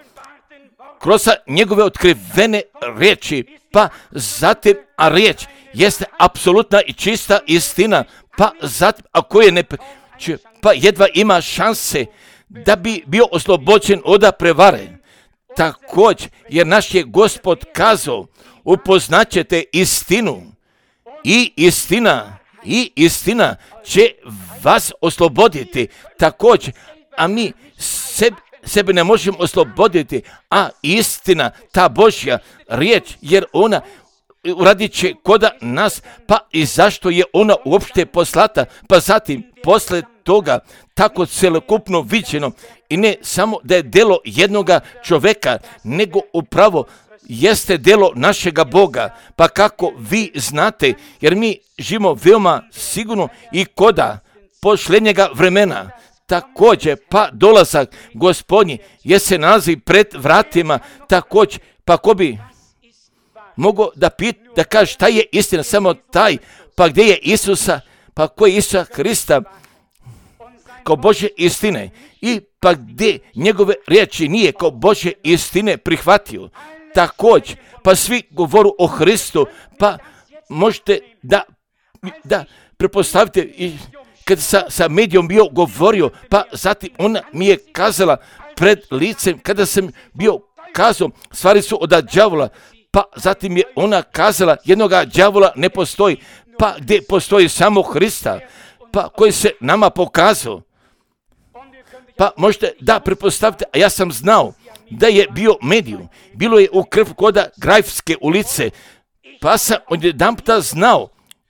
kroz njegove otkrivene riječi, pa zatim, a riječ jeste apsolutna i čista istina, pa zatim, ako je ne čuje, pa jedva ima šanse da bi bio oslobođen od prevare. Također, jer naš je Gospod kazao, upoznaćete istinu i istina će vas osloboditi. Također, a mi sebe ne možemo osloboditi, a istina, ta Božja riječ, jer ona uradit će koda nas, pa i zašto je ona uopšte poslata, pa zatim posle toga tako celokupno viđeno i ne samo da je delo jednoga čoveka, nego upravo jeste delo našega Boga, pa kako vi znate, jer mi živimo veoma sigurno i koda posljednjega vremena. Također, pa dolazak Gospodnji je se nalazi pred vratima, također, pa ko bi mogao da kaže šta je istina, samo taj, pa gdje je Isusa, pa ko je Isusa Hrista, kao Božje istine i pa gdje njegove riječi nije kao Božje istine prihvatio. Također, pa svi govoru o Hristu, pa možete da prepostavite i kad sa medijom bio govorio, pa zatim ona mi je kazala pred licem, kada sam bio kazao, stvari su od đavola, pa zatim je ona kazala, jednoga đavola ne postoji, pa gdje postoji samo Hrista, pa koji se nama pokazao. Pa možete da prepostavite, a ja sam znao da je bio medijum, bilo je u krv koda Grajfske ulice, pa sam odjedanputa znao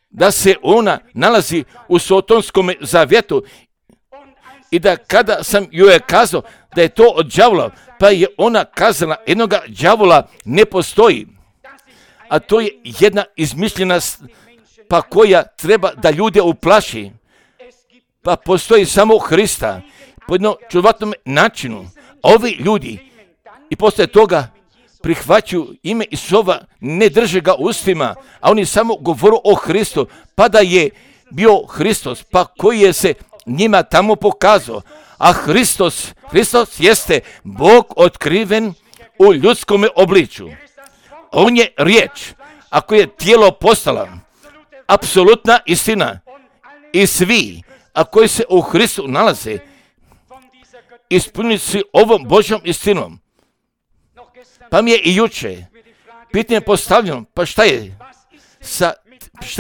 da se ona nalazi u Sotonskom zavjetu i da kada sam joj kazao da je to od đavola, pa je ona kazala, jednoga đavola ne postoji. A to je jedna izmišljena, pa koja treba da ljude uplaši. Pa postoji samo Hrista po jednom čudnovatnom načinu. A ovi ljudi i posle toga prihvaćaju ime Isova, ne drže ga ustima, a oni samo govoru o Hristu, pa da je bio Hristos, pa koji je se njima tamo pokazao. A Hristos jeste Bog otkriven u ljudskom obličju. On je riječ, ako je tijelo postala, apsolutna istina. I svi, a koji se u Hristu nalaze, ispunili su ovom Božjom istinom. Pa mi je i juče pitanje postavljeno, pa šta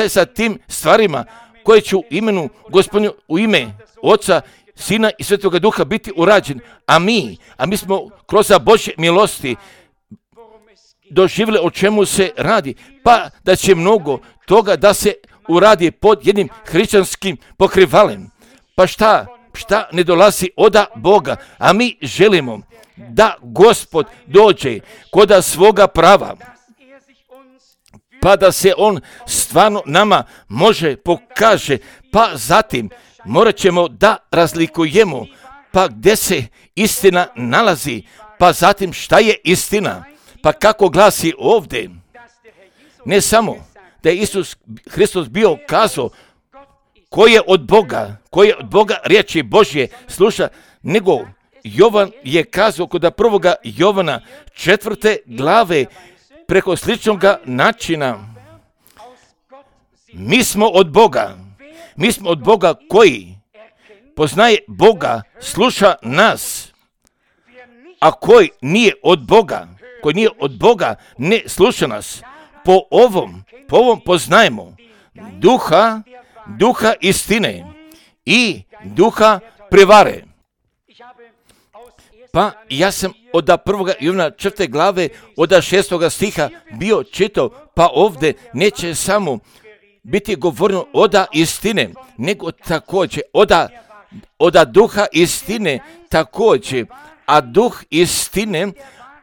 je sa tim stvarima koje će u imenu Gospodinu, u ime Oca, Sina i Svetoga Duha biti urađen, a mi smo kroz Božje milosti doživjeli o čemu se radi, pa da će mnogo toga da se uradi pod jednim hrišćanskim pokrivalem. Pa šta ne dolazi od Boga, a mi želimo da Gospod dođe koda svoga prava, pa da se on stvarno nama može pokaže, pa zatim morat ćemo da razlikujemo, pa gdje se istina nalazi, pa zatim šta je istina, pa kako glasi ovdje. Ne samo da je Isus Hristos bio kazao ko je od Boga riječi Božje sluša, nego Jovan je kazao kod prvoga Jovana 4. glave preko sličnog načina. Mi smo od Boga koji poznaje Boga, sluša nas, a koji nije od Boga, ne sluša nas. Po ovom poznajemo duha istine i duha prevare. Pa ja sam od 1. Jovana 4. glave od 6. stiha bio čitao, pa ovdje neće samo biti govoreno od istine, nego također od duha istine također, a duh istine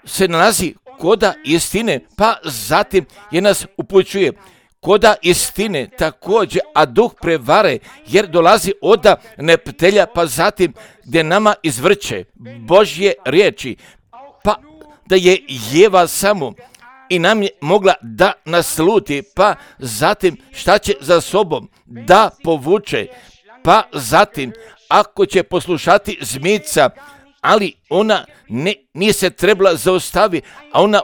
se nalazi koda istine, pa zatim je nas upućuje koda istine također, a duh prevare, jer dolazi od neprijatelja, pa zatim gdje nama izvrće Božje riječi, pa da je Jeva samo i nam je mogla da nasluti, pa zatim šta će za sobom da povuče, pa zatim ako će poslušati zmica, ali ona nije se trebala zaustaviti, a ona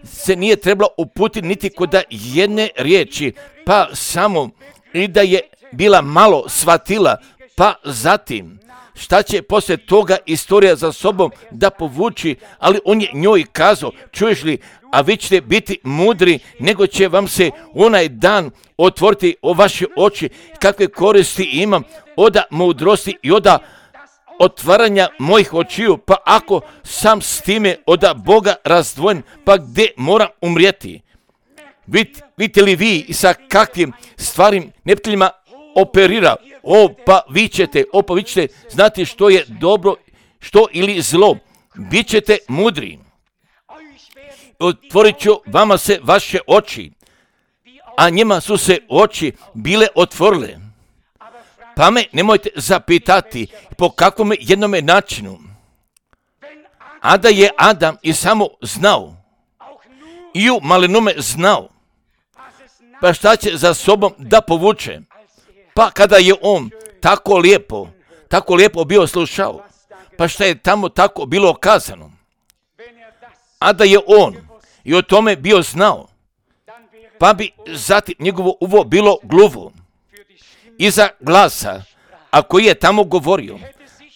se nije trebala uputiti niti kod jedne riječi, pa samo i da je bila malo shvatila, pa zatim šta će poslije toga istorija za sobom da povuči, ali on je njoj kazao, čuješ li, a vi ćete biti mudri, nego će vam se onaj dan otvoriti o vaše oči, kakve koristi imam od mudrosti i od otvaranja mojih očiju, pa ako sam s time od Boga razdvojen, pa gdje moram umrijeti? Vidite li vi sa kakvim stvarim neprijateljima operira? Pa vi ćete znati što je dobro, što ili zlo. Bićete mudri. Otvorit ću vama se vaše oči, a njima su se oči bile otvorile. Pa me nemojte zapitati po kakvom jednome načinu. A da je Adam i samo znao, i u malinome znao, pa šta će za sobom da povuče? Pa kada je on tako lijepo, tako lijepo bio slušao, pa šta je tamo tako bilo kazano, a da je on i o tome bio znao, pa bi zatim njegovo uvo bilo gluvo iza glasa, a koji je tamo govorio,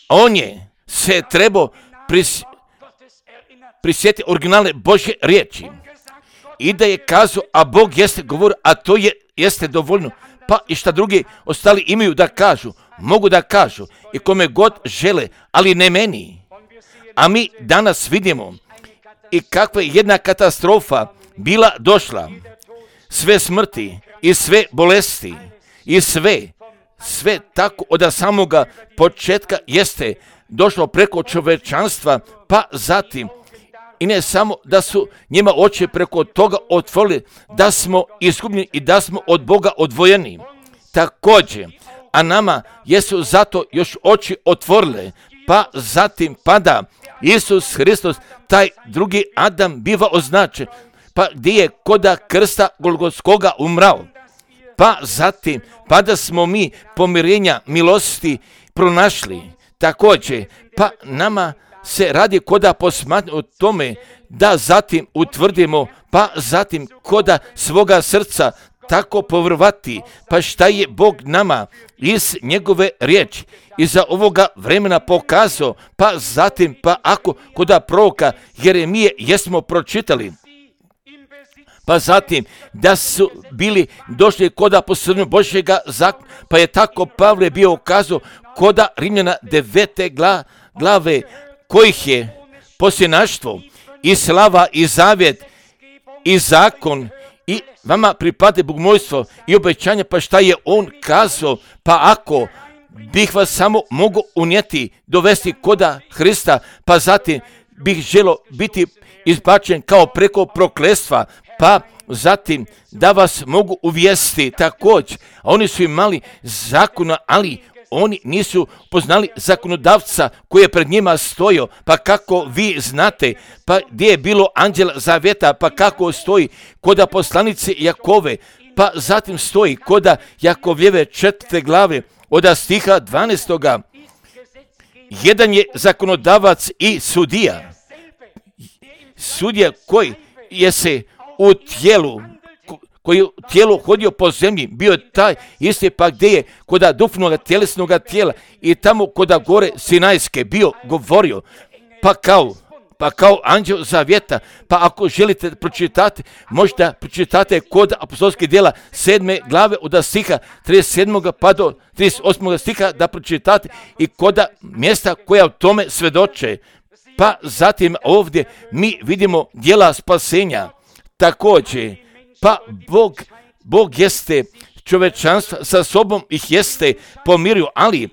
on je se trebao prisjetiti originalne Božje riječi i da je kazao, a Bog jeste govorio, a to jeste dovoljno, pa i šta drugi ostali imaju da kažu, mogu da kažu i kome god žele, ali ne meni. A mi danas vidimo i kakva je jedna katastrofa bila došla, sve smrti i sve bolesti i sve tako od samoga početka jeste došlo preko čovečanstva, pa zatim i ne samo da su njima oči preko toga otvorili, da smo izgubljeni i da smo od Boga odvojeni. Također, a nama jesu zato još oči otvorile, pa zatim pada Isus Hristos, taj drugi Adam biva označen, pa gdje je koda krsta Golgotskoga umrao. Pa zatim, pa da smo mi pomirenja milosti pronašli. Također, pa nama se radi koda posmatramo o tome da zatim utvrdimo, pa zatim koda svoga srca tako povrvati, pa šta je Bog nama iz njegove riječi iza ovoga vremena pokazao, pa zatim, pa ako koda proroka Jeremije jesmo pročitali, pa zatim da su bili došli koda posredno Božjega zakona, pa je tako Pavle bio ukazao koda Rimljana 9. glave, kojih je posljednaštvo i slava i zavjet i zakon i vama pripada bogomolstvo i obećanje, pa šta je on kazao, pa ako bih vas samo mogu unijeti, dovesti koda Hrista, pa zatim bih želo biti izbačen kao preko prokletstva, pa zatim da vas mogu uvijesti također. Oni su imali zakona, ali oni nisu poznali zakonodavca koji je pred njima stojio, pa kako vi znate, pa gdje je bilo anđela zavjeta, pa kako stoji koda poslanice Jakove, pa zatim stoji koda Jakovljeve 4. glave od stiha 12. Jedan je zakonodavac i sudija. Sudija koji je se u tijelu, koji je u tijelu hodio po zemlji, bio taj isti, pa gdje je koda duhovnoga tjelesnoga tijela i tamo koda gore Sinajske bio govorio, pa kao anđel zavjeta. Pa ako želite pročitati, možda pročitate kod apostolskih djela 7. glave od stiha 37. pa do 38. stiha da pročitate i koda mjesta koja o tome svjedoče. Pa zatim ovdje mi vidimo djela spasenja. Također, pa Bog jeste čovečanstvo sa sobom ih jeste pomirio, ali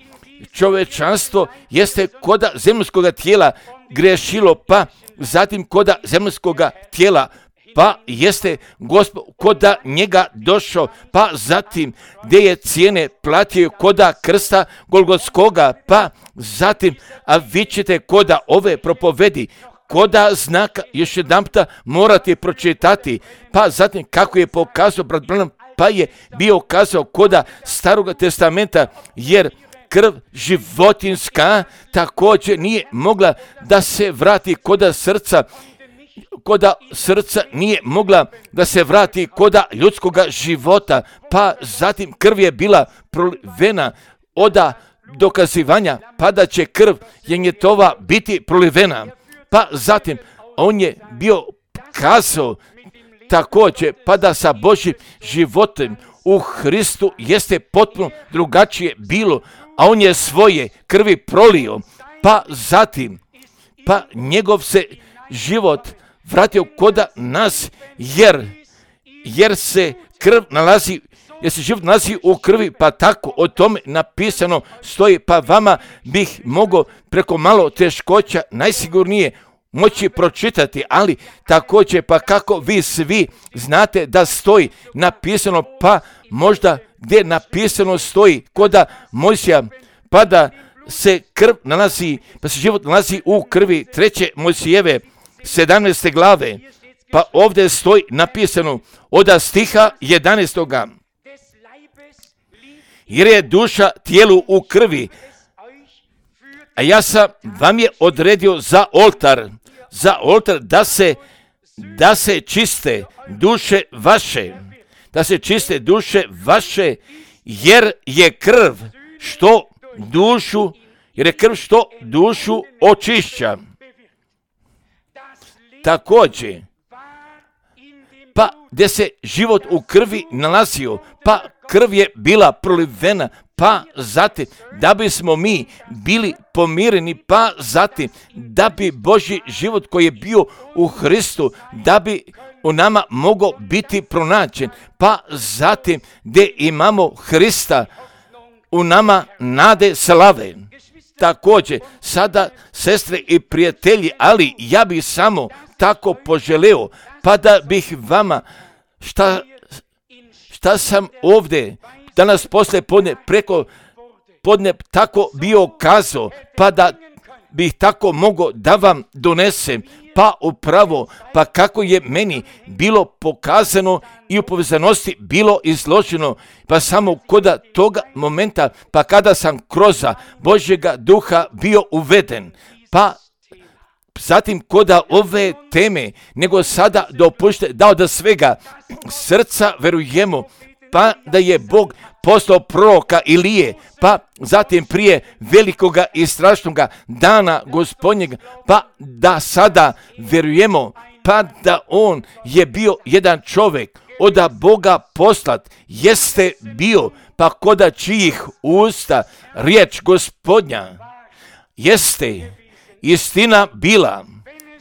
čovečanstvo jeste koda zemljskoga tijela grešilo, pa zatim koda zemljskoga tijela, pa jeste Gospod koda njega došao, pa zatim gdje je cijene platio koda krsta Golgotskoga, pa zatim, a vi ćete koda ove propovedi, koda znaka još jedanputa morate pročitati, pa zatim kako je pokazao brat Branham, pa je bio kazao koda Staroga testamenta, jer krv životinska također nije mogla da se vrati koda srca nije mogla da se vrati koda ljudskoga života, pa zatim krv je bila prolivena od dokazivanja, pa da će krv jenjetova biti prolivena. Pa zatim on je bio kazao također, pa da sa Božjim životom u Hristu jeste potpuno drugačije bilo, a on je svoje krvi prolio, pa zatim, pa njegov se život vratio koda nas, jer se krv nalazi, jer se život nalazi u krvi, pa tako o tome napisano stoji, pa vama bih mogao preko malo teškoća najsigurnije moći pročitati, ali također pa kako vi svi znate da stoji napisano, pa možda gdje napisano stoji koda Mojsija, pa da se krv nalazi, pa se život nalazi u krvi 3. Mojsijeve 17. glave, pa ovdje stoji napisano od stiha 11. Jer je duša tijelu u krvi, a ja sam vam je odredio za oltar da se čiste duše vaše, jer je krv što dušu očišća. Također, pa gdje se život u krvi nalazio, pa krv je bila prolivena, pa zatim da bismo mi bili pomireni, pa zatim da bi Božji život koji je bio u Hristu, da bi u nama mogao biti pronađen, pa zatim gdje imamo Hrista, u nama nade slave. Također, sada sestre i prijatelji, ali ja bih samo tako poželeo, pa da bih vama šta sam ovdje danas poslije podne tako bio kazao, pa da bih tako mogao da vam donesem, pa upravo, pa kako je meni bilo pokazano i u povezanosti bilo izloženo, pa samo kod toga momenta, pa kada sam kroz Božjega duha bio uveden, pa zatim kod ove teme, nego sada dopušte da od svega srca verujemo, pa da je Bog poslao proroka Ilije, pa zatim prije velikoga i strašnoga dana Gospodnjega, pa da sada verujemo, pa da on je bio jedan čovjek od Boga poslat, jeste bio, pa koda čijih usta riječ Gospodnja jeste istina bila,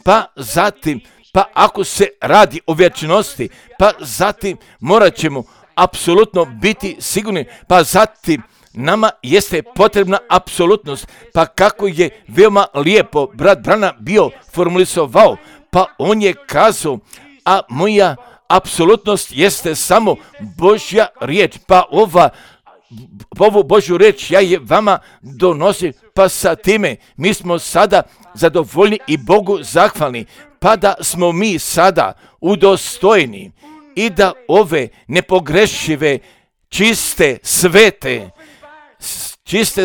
pa zatim, pa ako se radi o vječnosti, pa zatim morat ćemo apsolutno biti sigurni, pa zatim nama jeste potrebna apsolutnost, pa kako je veoma lijepo brat Branham bio formulisovao, pa on je kazao, a moja apsolutnost jeste samo Božja riječ, pa ovu Božju riječ ja je vama donosim, pa sa time mi smo sada zadovoljni i Bogu zahvalni, pa da smo mi sada udostojni i da ove nepogrešive, čiste,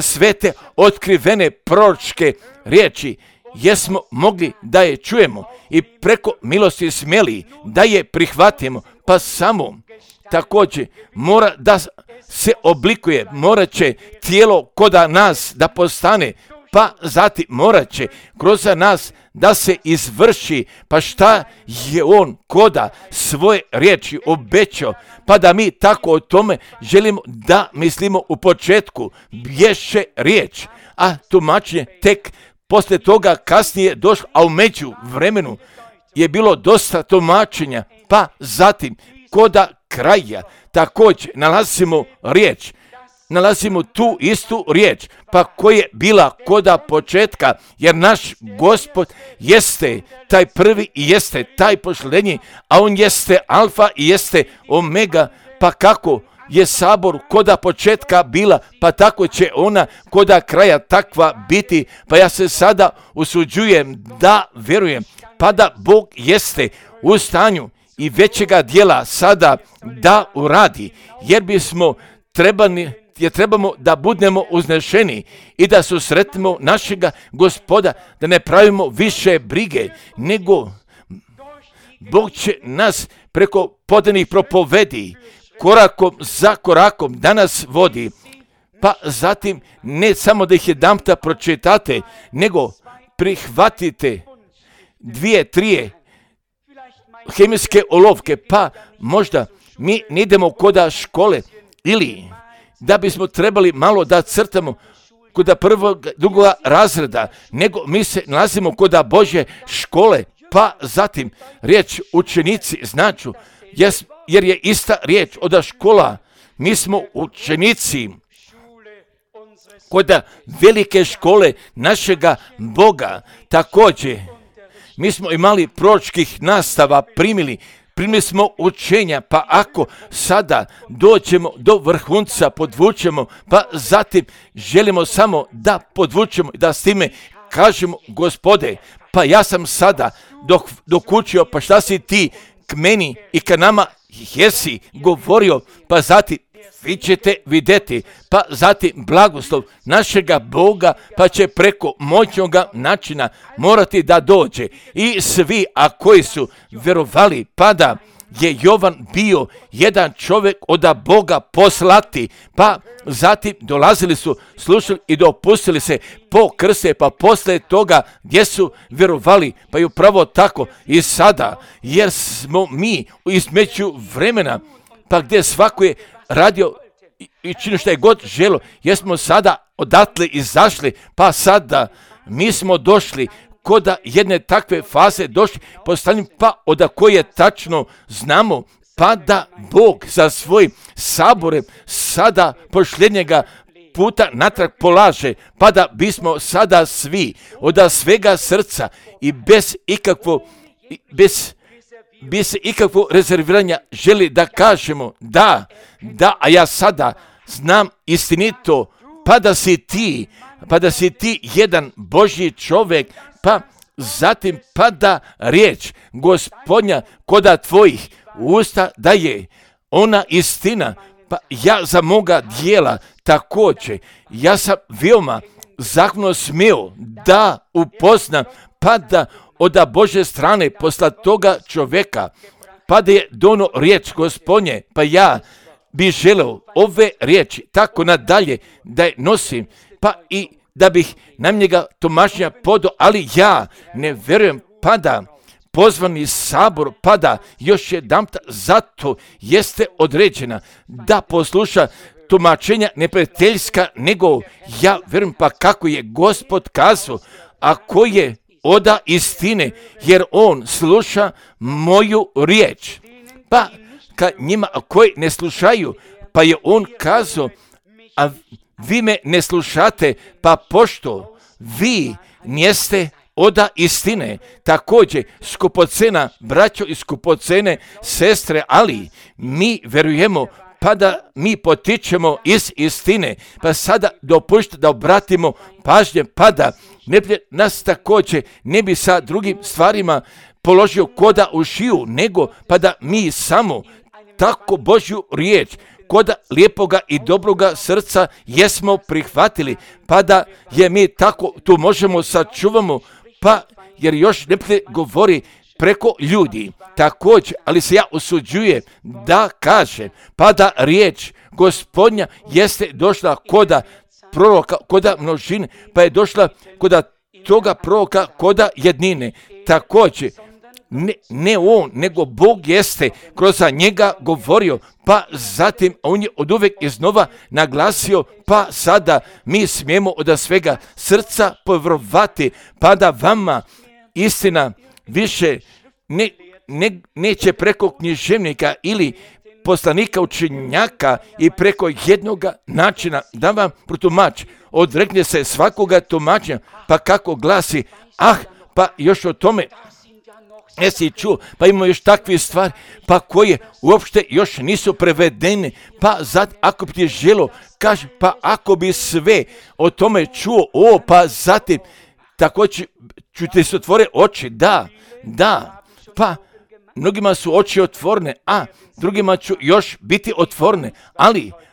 svete, otkrivene proročke riječi, jesmo mogli da je čujemo i preko milosti smjeli da je prihvatimo, pa samo također mora da se oblikuje, morat će tijelo koda nas da postane, pa zatim morat će kroz nas da se izvrši, pa šta je on koda svoje riječi obećao, pa da mi tako o tome želimo da mislimo u početku, bješe riječ, a tumačenje tek poslije toga kasnije došlo, a u međuvremenu je bilo dosta tumačenja, pa zatim koda kraja također nalazimo tu istu riječ, pa koja je bila koda početka, jer naš Gospod jeste taj prvi i jeste taj posljednji, a on jeste alfa i jeste omega, pa kako je sabor koda početka bila, pa tako će ona koda kraja takva biti, pa ja se sada usuđujem da vjerujem, pa da Bog jeste u stanju i većega dijela sada da uradi, jer trebamo da budemo uznešeni i da susretimo našega Gospoda, da ne pravimo više brige, nego Bog će nas preko podanih propovedi korakom za korakom da nas vodi, pa zatim ne samo da ih jedanputa pročitate, nego prihvatite 2-3 hemijske olovke, pa možda mi ne idemo koda škole ili da bismo trebali malo da crtamo koda prvog, drugog razreda, nego mi se nalazimo koda Božje škole, pa zatim riječ učenici značu, jer je ista riječ od škola, mi smo učenici koda velike škole našega Boga. Također, mi smo imali proročkih nastava, primili smo učenja, pa ako sada dođemo do vrhunca, podvučemo, pa zatim želimo samo da podvučemo i da s time kažemo, Gospode, pa ja sam sada dokučio, pa šta si ti k meni i ka nama jesi govorio, pa zatim vi ćete vidjeti, pa zatim blagoslov našega Boga, pa će preko moćnoga načina morati da dođe. I svi, a koji su vjerovali, pa da je Jovan bio jedan čovjek od Boga poslati, pa zatim dolazili su, slušali i dopustili se po krste, pa poslije toga gdje su vjerovali, pa i upravo tako i sada, jer smo mi između vremena, pa gdje svako je radio i činio što je god želo, jer smo sada odatle izašli, pa sada mi smo došli kod jedne takve faze došli, postavljam pa od koje tačno znamo, pa da Bog sa svojim saborem sada posljednjega puta natrag polaže, pa da bismo sada svi od svega srca i bez ikakvog rezerviranja želi da kažemo da, a ja sada znam istinito, pa da si ti jedan Božji čovjek, pa zatim pada riječ Gospodnja koda tvojih usta da je ona istina, pa ja za moga dijela također, ja sam veoma zahvalno smio da upoznam, pa da od Božje strane posla toga čovjeka, pa da je dono riječ Gospodnje, pa ja bi želeo ove riječi tako nadalje da je nosim, pa i da bih na njega tumačenja podao, ali ja ne vjerujem, pa da pozvani sabor, pa da još jedanput zato jeste određena da posluša tumačenja neprijateljska, nego ja vjerujem pa kako je Gospod kazao, ako je oda istine, jer on sluša moju riječ. Pa kad njima koji ne slušaju, pa je on kazao, a vi me ne slušate, pa pošto vi njeste oda istine, također skupocena braćo i skupocene sestre, ali mi vjerujemo pa da mi potičemo iz istine, pa sada dopušta da obratimo pažnje, pa da nas također ne bi sa drugim stvarima položio koda u šiju, nego pa da mi samo tako Božju riječ koda lijepoga i dobroga srca jesmo prihvatili, pa da je mi tako tu možemo sačuvamo, pa jer još ne govori preko ljudi također, ali se ja usuđujem da kažem, pa da riječ Gospodnja jeste došla koda proroka, koda množine, pa je došla koda toga proroka, koda jednine. Također, ne on, nego Bog jeste kroz njega govorio, pa zatim on je od uvijek iznova naglasio, pa sada mi smijemo od svega srca povjerovati, pa da vama istina više neće preko književnika ili poslanika učenjaka i preko jednoga načina da vam protumači. Odrekne se svakoga tumačenja, pa kako glasi, pa još o tome jesi čuo, pa imamo još takve stvari, pa koje uopšte još nisu prevedene, pa ako bi ti želo, kaže, pa ako bi sve o tome čuo, pa zatim, tako ću ti se otvore oči, da, pa mnogima su oči otvorene, a drugima ću još biti otvorene,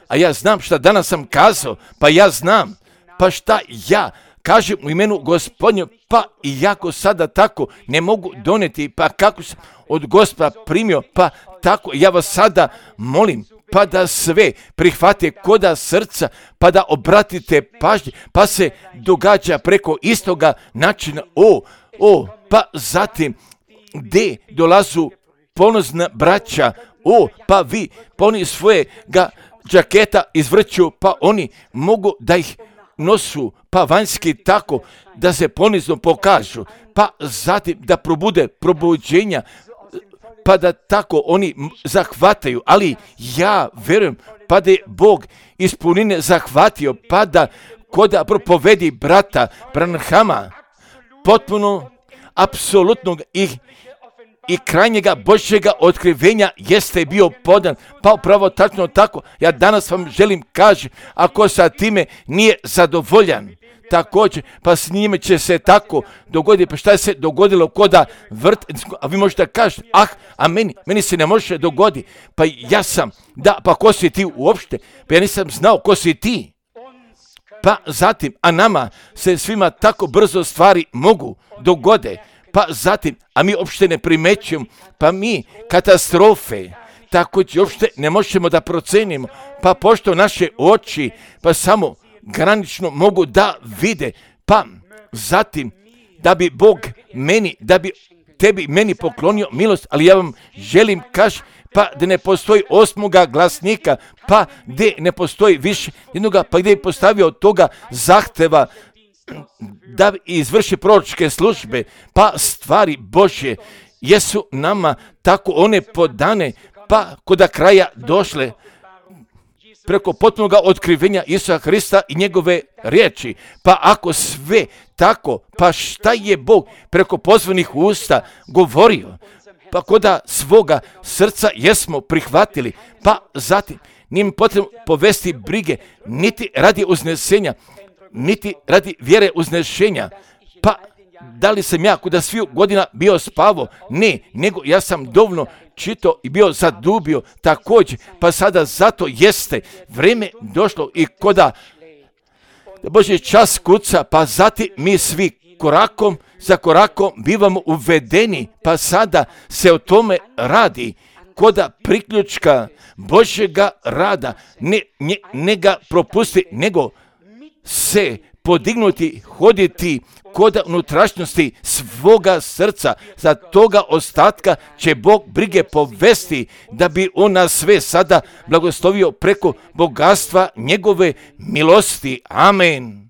a ja znam šta danas sam kazao, pa ja znam, pa šta ja kažem u imenu Gospodnju, pa iako sada tako ne mogu doneti, pa kako sam od Gospoda primio, pa tako ja vas sada molim, pa da sve prihvate koda srca, pa da obratite pažnje, pa se događa preko istoga načina, pa zatim gdje dolazu ponosna braća, pa vi, pa oni svojega džaketa izvrću, pa oni mogu da ih nosu, pa vanjski tako, da se ponizno pokažu, pa zatim da probude probuđenja, pa da tako oni zahvataju, ali ja vjerujem, pa da je Bog iz punine zahvatio, pa da koda propovedi brata Branhama, potpuno, apsolutnog i krajnjega Božjega otkrivenja jeste bio podan, pa upravo tačno tako, ja danas vam želim kaži, ako sa time nije zadovoljan, također, pa s njime će se tako dogoditi. Pa šta je se dogodilo koda vrt, a vi možete kažete, a meni se ne može dogoditi. Pa ja sam, pa ko si ti uopšte? Pa ja nisam znao ko si ti. Pa zatim, a nama se svima tako brzo stvari mogu dogode. Pa zatim, a mi uopšte ne primećujemo, pa mi katastrofe, tako će uopšte ne možemo da procenimo, pa pošto naše oči, pa samo granično mogu da vide, pa zatim, da bi Bog meni, da bi tebi meni poklonio milost, ali ja vam želim kaži, pa da ne postoji 8. glasnika, pa gdje ne postoji više jednoga, pa gdje je postavio toga zahteva da izvrši proročke službe, pa stvari Božje jesu nama tako one podane, pa koda kraja došle preko potpunog otkrivenja Isusa Hrista i njegove riječi. Pa ako sve tako, pa šta je Bog preko pozvanih usta govorio? Pa koda svoga srca jesmo prihvatili, pa zatim nije mi potrebno povesti brige, niti radi uznesenja, niti radi vjere uznešenja. Pa da li sam ja kuda sviju godina bio spavo? Ne, nego ja sam dovoljno čito i bio zadubio također, pa sada zato jeste vrijeme došlo i koda Božji čas kuca, pa zatim mi svi korakom za korakom bivamo uvedeni, pa sada se o tome radi koda priključka Božjega rada, ne ga propusti, nego se podignuti, hoditi koda unutrašnjosti svoga srca. Za toga ostatka će Bog brige povesti da bi on nas sve sada blagoslovio preko bogatstva njegove milosti. Amen.